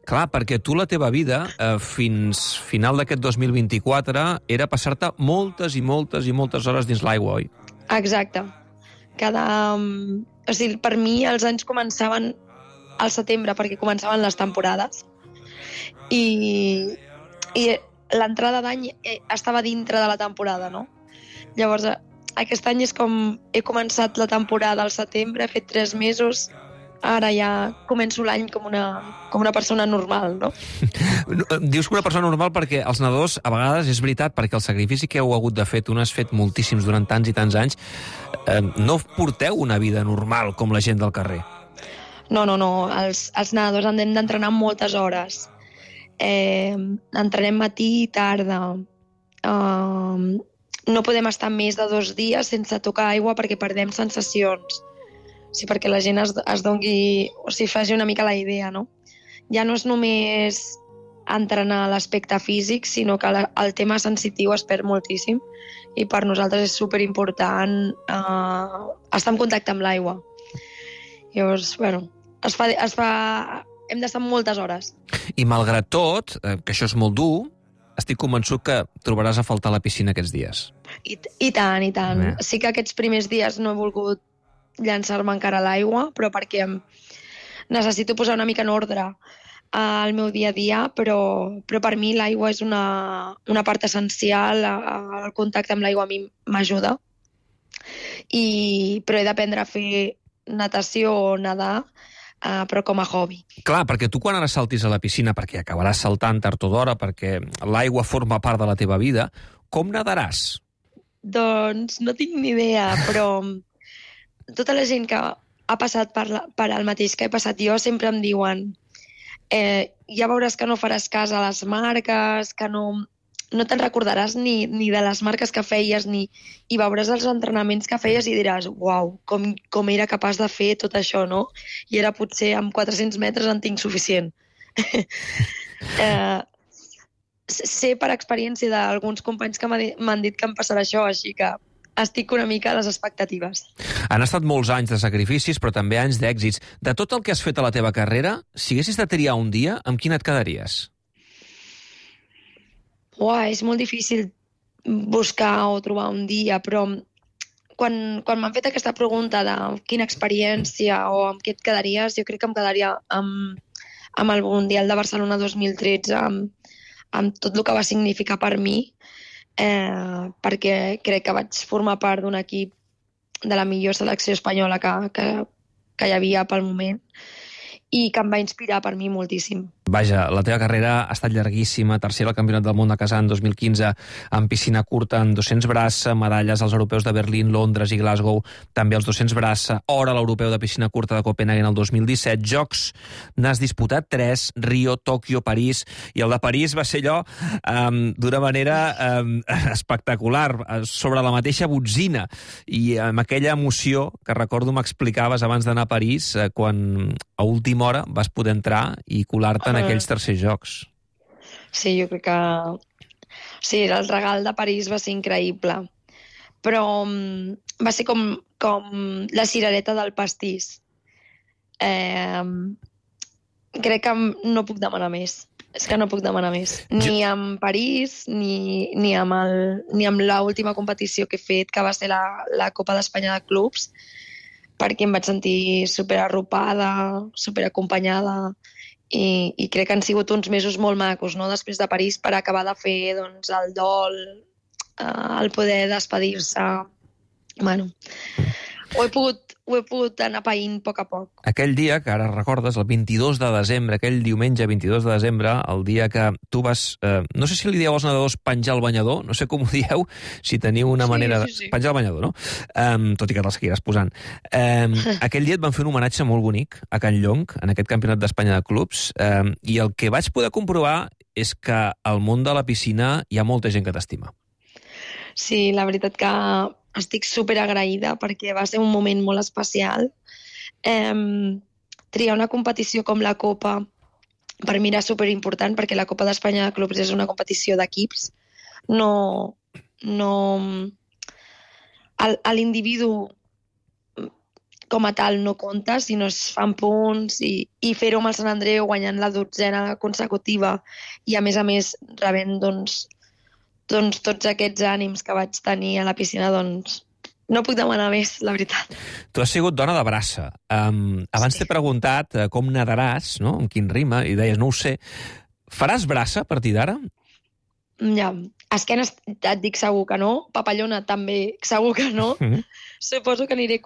Clar, perquè tu la teva vida, fins final d'aquest 2024, era passar-te moltes i moltes i moltes hores dins l'aigua, oi? Exacte. O sigui, per mi els anys començaven al setembre, perquè començaven les temporades, i l'entrada d'any estava dintre de la temporada, no? Llavors, aquest any és com he començat la temporada al setembre, he fet 3 mesos, ara ja començo l'any com una persona normal, no? Dius que una persona normal perquè els nedadors, a vegades, és veritat, perquè el sacrifici que heu hagut de fer, tu n'has fet moltíssims durant tants i tants anys, no porteu una vida normal com la gent del carrer. No. Els nedadors hem d'entrenar moltes hores. Entrenem matí i tarda. No podem estar més de 2 dies sense tocar aigua perquè perdem sensacions. O sigui, perquè la gent es doni, o sigui, faci una mica la idea, no? Ja no és només entrenar l'aspecte físic, sinó que el tema sensitiu es perd moltíssim i per nosaltres és superimportant estar en contacte amb l'aigua. Llavors, bueno, hem d'estar moltes hores. I malgrat tot, que això és molt dur, estic convençut que trobaràs a faltar la piscina aquests dies. I tant. Sí que aquests primers dies no he volgut llançar-me encara a l'aigua, però perquè necessito posar una mica en ordre al meu dia a dia, però per mi l'aigua és una part essencial, el contacte amb l'aigua a mi m'ajuda. Però he d'aprendre a fer natació o nedar, però com a hobby. Clar, perquè tu quan ara saltis a la piscina, perquè acabaràs saltant tard o d'hora, perquè l'aigua forma part de la teva vida, com nadaràs? Doncs no tinc ni idea, però tota la gent que ha passat per el mateix que he passat jo sempre em diuen ja veuràs que no faràs cas a les marques, que no te'n recordaràs ni de les marques que feies, i veuràs els entrenaments que feies i diràs, uau, com era capaç de fer tot això, no? I era potser amb 400 metres en tinc suficient. Sé per experiència d'alguns companys que m'han dit que em passarà això, així que estic una mica a les expectatives. Han estat molts anys de sacrificis, però també anys d'èxits. De tot el que has fet a la teva carrera, si haguessis de triar un dia, amb quin et quedaries? És molt difícil buscar o trobar un dia, però quan m'han fet aquesta pregunta de quina experiència o amb què et quedaries, jo crec que em quedaria amb el Mundial de Barcelona 2013, amb tot el que va significar per mi, perquè crec que vaig formar part d'un equip de la millor selecció espanyola que hi havia pel moment i que em va inspirar per mi moltíssim. Vaja, la teva carrera ha estat llarguíssima, tercera al Campionat del Món de Kazan 2015, en piscina curta, en 200 braça, medalles als europeus de Berlín, Londres i Glasgow, també als 200 braça, or a l'europeu de piscina curta de Copenhagen el 2017, Jocs n'has disputat 3, Rio, Tòquio, París, i el de París va ser allò d'una manera espectacular, sobre la mateixa botzina, i amb aquella emoció que recordo m'explicaves abans d'anar a París, quan a última hora vas poder entrar i colar-te en aquells tercers jocs. Sí, jo crec que... Sí, el regal de París va ser increïble. Però va ser com la cirereta del pastís. Crec que no puc demanar més. És que no puc demanar més. Ni amb París, ni amb l'última competició que he fet, que va ser la Copa d'Espanya de Clubs, perquè em vaig sentir superarropada, superacompanyada, i crec que han sigut uns mesos molt macos, no? Després de París, per acabar de fer doncs, el dol, el poder despedir-se. Bueno, ho he pogut anar païnt a poc a poc. Aquell dia, que ara recordes, el 22 de desembre, aquell diumenge 22 de desembre, el dia que tu vas... no sé si li dieu als nedadors penjar el banyador, no sé com ho dieu, si teniu una manera... Sí. Penjar el banyador, no? Tot i que te'l seguiràs posant. Aquell dia et van fer un homenatge molt bonic a Can Llong, en aquest Campionat d'Espanya de Clubs, i el que vaig poder comprovar és que al món de la piscina hi ha molta gent que t'estima. Sí, la veritat que estic superagraïda perquè va ser un moment molt especial. Triar una competició com la Copa per mi era superimportant perquè la Copa d'Espanya de Clubs és una competició d'equips. L'individu com a tal no compta, sinó es fan punts i fer-ho amb el Sant Andreu guanyant la 12ª consecutiva i a més rebent tots aquests ànims que vaig tenir a la piscina, doncs no puc demanar més, la veritat. Tu has sigut dona de braça. Abans t'he preguntat com nadaràs, no? Amb quin rima, i deies, no ho sé. Faràs braça a partir d'ara? Ja, esquena et dic segur que no, papallona també segur que no. Suposo que aniré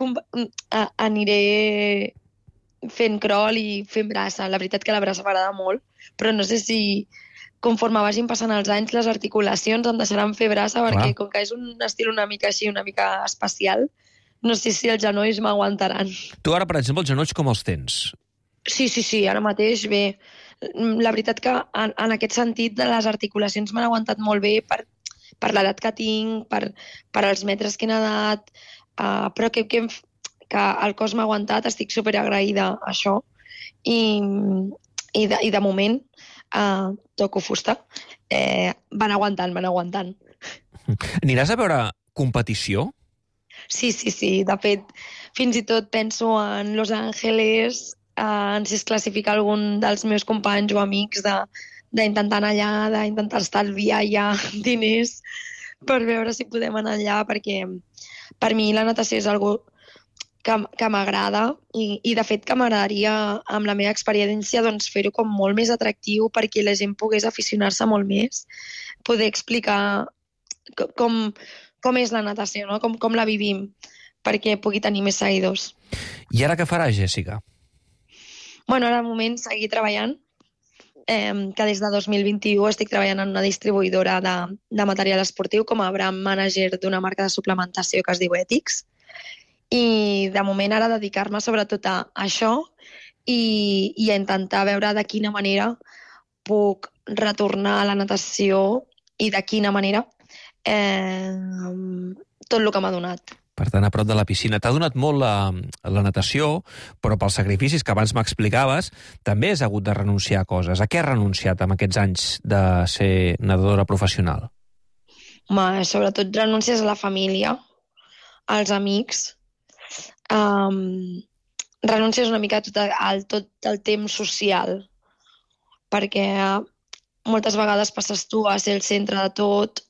fent crawl i fent braça. La veritat que la braça m'agrada molt, però no sé si conforme vagin passant els anys les articulacions em deixaran fer braça perquè com que és un estil una mica així, una mica especial, no sé si els genolls m'aguantaran. Tu ara, per exemple, els genolls com els tens? Sí, ara mateix bé. La veritat que en aquest sentit de les articulacions m'han aguantat molt bé per l'edat que tinc, per els metres que he nedat, però que el cos m'ha aguantat, estic superagraïda a això i de moment toco fusta. Van aguantant. Aniràs a veure competició? Sí. De fet, fins i tot penso en Los Angeles, en si es classifica algun dels meus companys o amics d'intentar anar allà, d'intentar estalviar allà diners per veure si podem anar allà, perquè per mi la natació és algo que m'agrada i de fet que m'agradaria amb la meva experiència doncs, fer-ho com molt més atractiu perquè la gent pogués aficionar-se molt més, poder explicar com és la natació, no? com la vivim, perquè pugui tenir més seguidors. I ara què faràs, Jèssica? Bueno, ara al moment seguir treballant, que des de 2021 estic treballant en una distribuïdora de material esportiu com a brand manager d'una marca de suplementació que es diu Ethics. I de moment ara dedicar-me sobretot a això i a intentar veure de quina manera puc retornar a la natació i de quina manera tot el que m'ha donat. Per tant, a prop de la piscina. T'ha donat molt la natació, però pels sacrificis que abans m'explicaves, també has hagut de renunciar a coses. A què has renunciat amb aquests anys de ser nedadora professional? Sobretot renúncies a la família, als amics, renuncies una mica a tot el temps social, perquè moltes vegades passes tu a ser el centre de tot.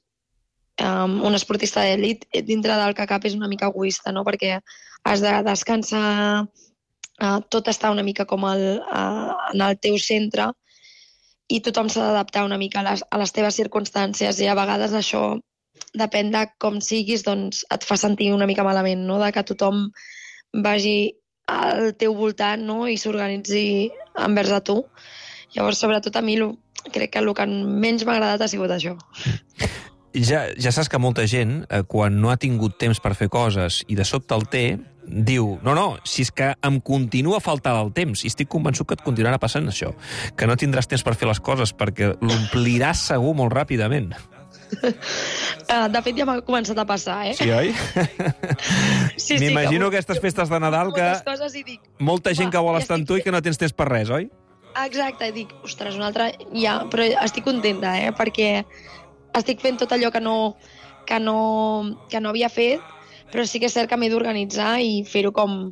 Un esportista d'elit dintre del que cap és una mica egoista, no? Perquè has de descansar, tot està una mica com en el teu centre i tothom s'ha d'adaptar una mica a les teves circumstàncies, i a vegades això, depèn de com siguis, doncs et fa sentir una mica malament, no? De que tothom vagi al teu voltant, no? I s'organitzi envers a tu. Llavors, sobretot a mi, crec que el que menys m'ha agradat ha sigut això. Ja saps que molta gent, quan no ha tingut temps per fer coses i de sobte el té, diu, no, si és que em continua a faltar el temps, i estic convençut que et continuarà passant això, que no tindràs temps per fer les coses perquè l'ompliràs segur molt ràpidament. De fet, ja m'ha començat a passar, eh? Sí, oi? Sí, m'imagino aquestes festes de Nadal que molta gent que vol estar amb tu i que no tens temps per res, oi? Exacte, i dic, ostres, una altra... Ja, però estic contenta, perquè estic fent tot allò que no havia fet, però sí que és cert que m'he d'organitzar i fer-ho com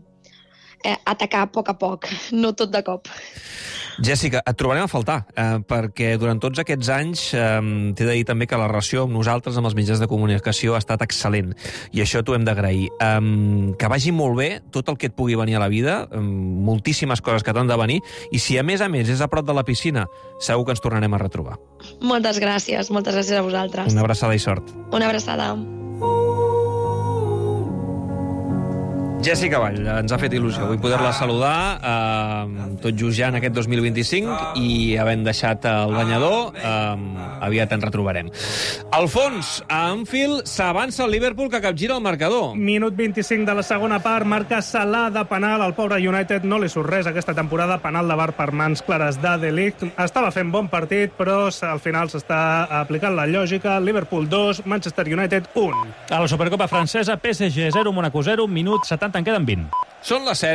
atacar a poc, no tot de cop. Jessica, et trobarem a faltar, perquè durant tots aquests anys t'he de dir també que la relació amb nosaltres, amb els mitjans de comunicació, ha estat excel·lent, i això t'ho hem d'agrair. Que vagi molt bé tot el que et pugui venir a la vida, moltíssimes coses que t'han de venir, i si a més és a prop de la piscina, segur que ens tornarem a retrobar. Moltes gràcies a vosaltres. Una abraçada i sort. Una abraçada. Jessica Vall, ens ha fet il·lusió avui poder-la saludar, tot just ja en aquest 2025, i havent deixat el banyador, aviat ens retrobarem. Alfons, a Anfield s'avança el Liverpool, que capgira el marcador. Minut 25 de la segona part, marca Salah de penal. Al pobre United no li surt res aquesta temporada, penal de VAR per mans clares de Ligt. Estava fent bon partit, però al final s'està aplicant la lògica. Liverpool 2, Manchester United 1. A la Supercopa francesa, PSG 0, Mónaco 0, minut 70, en queden 20. Són les 7.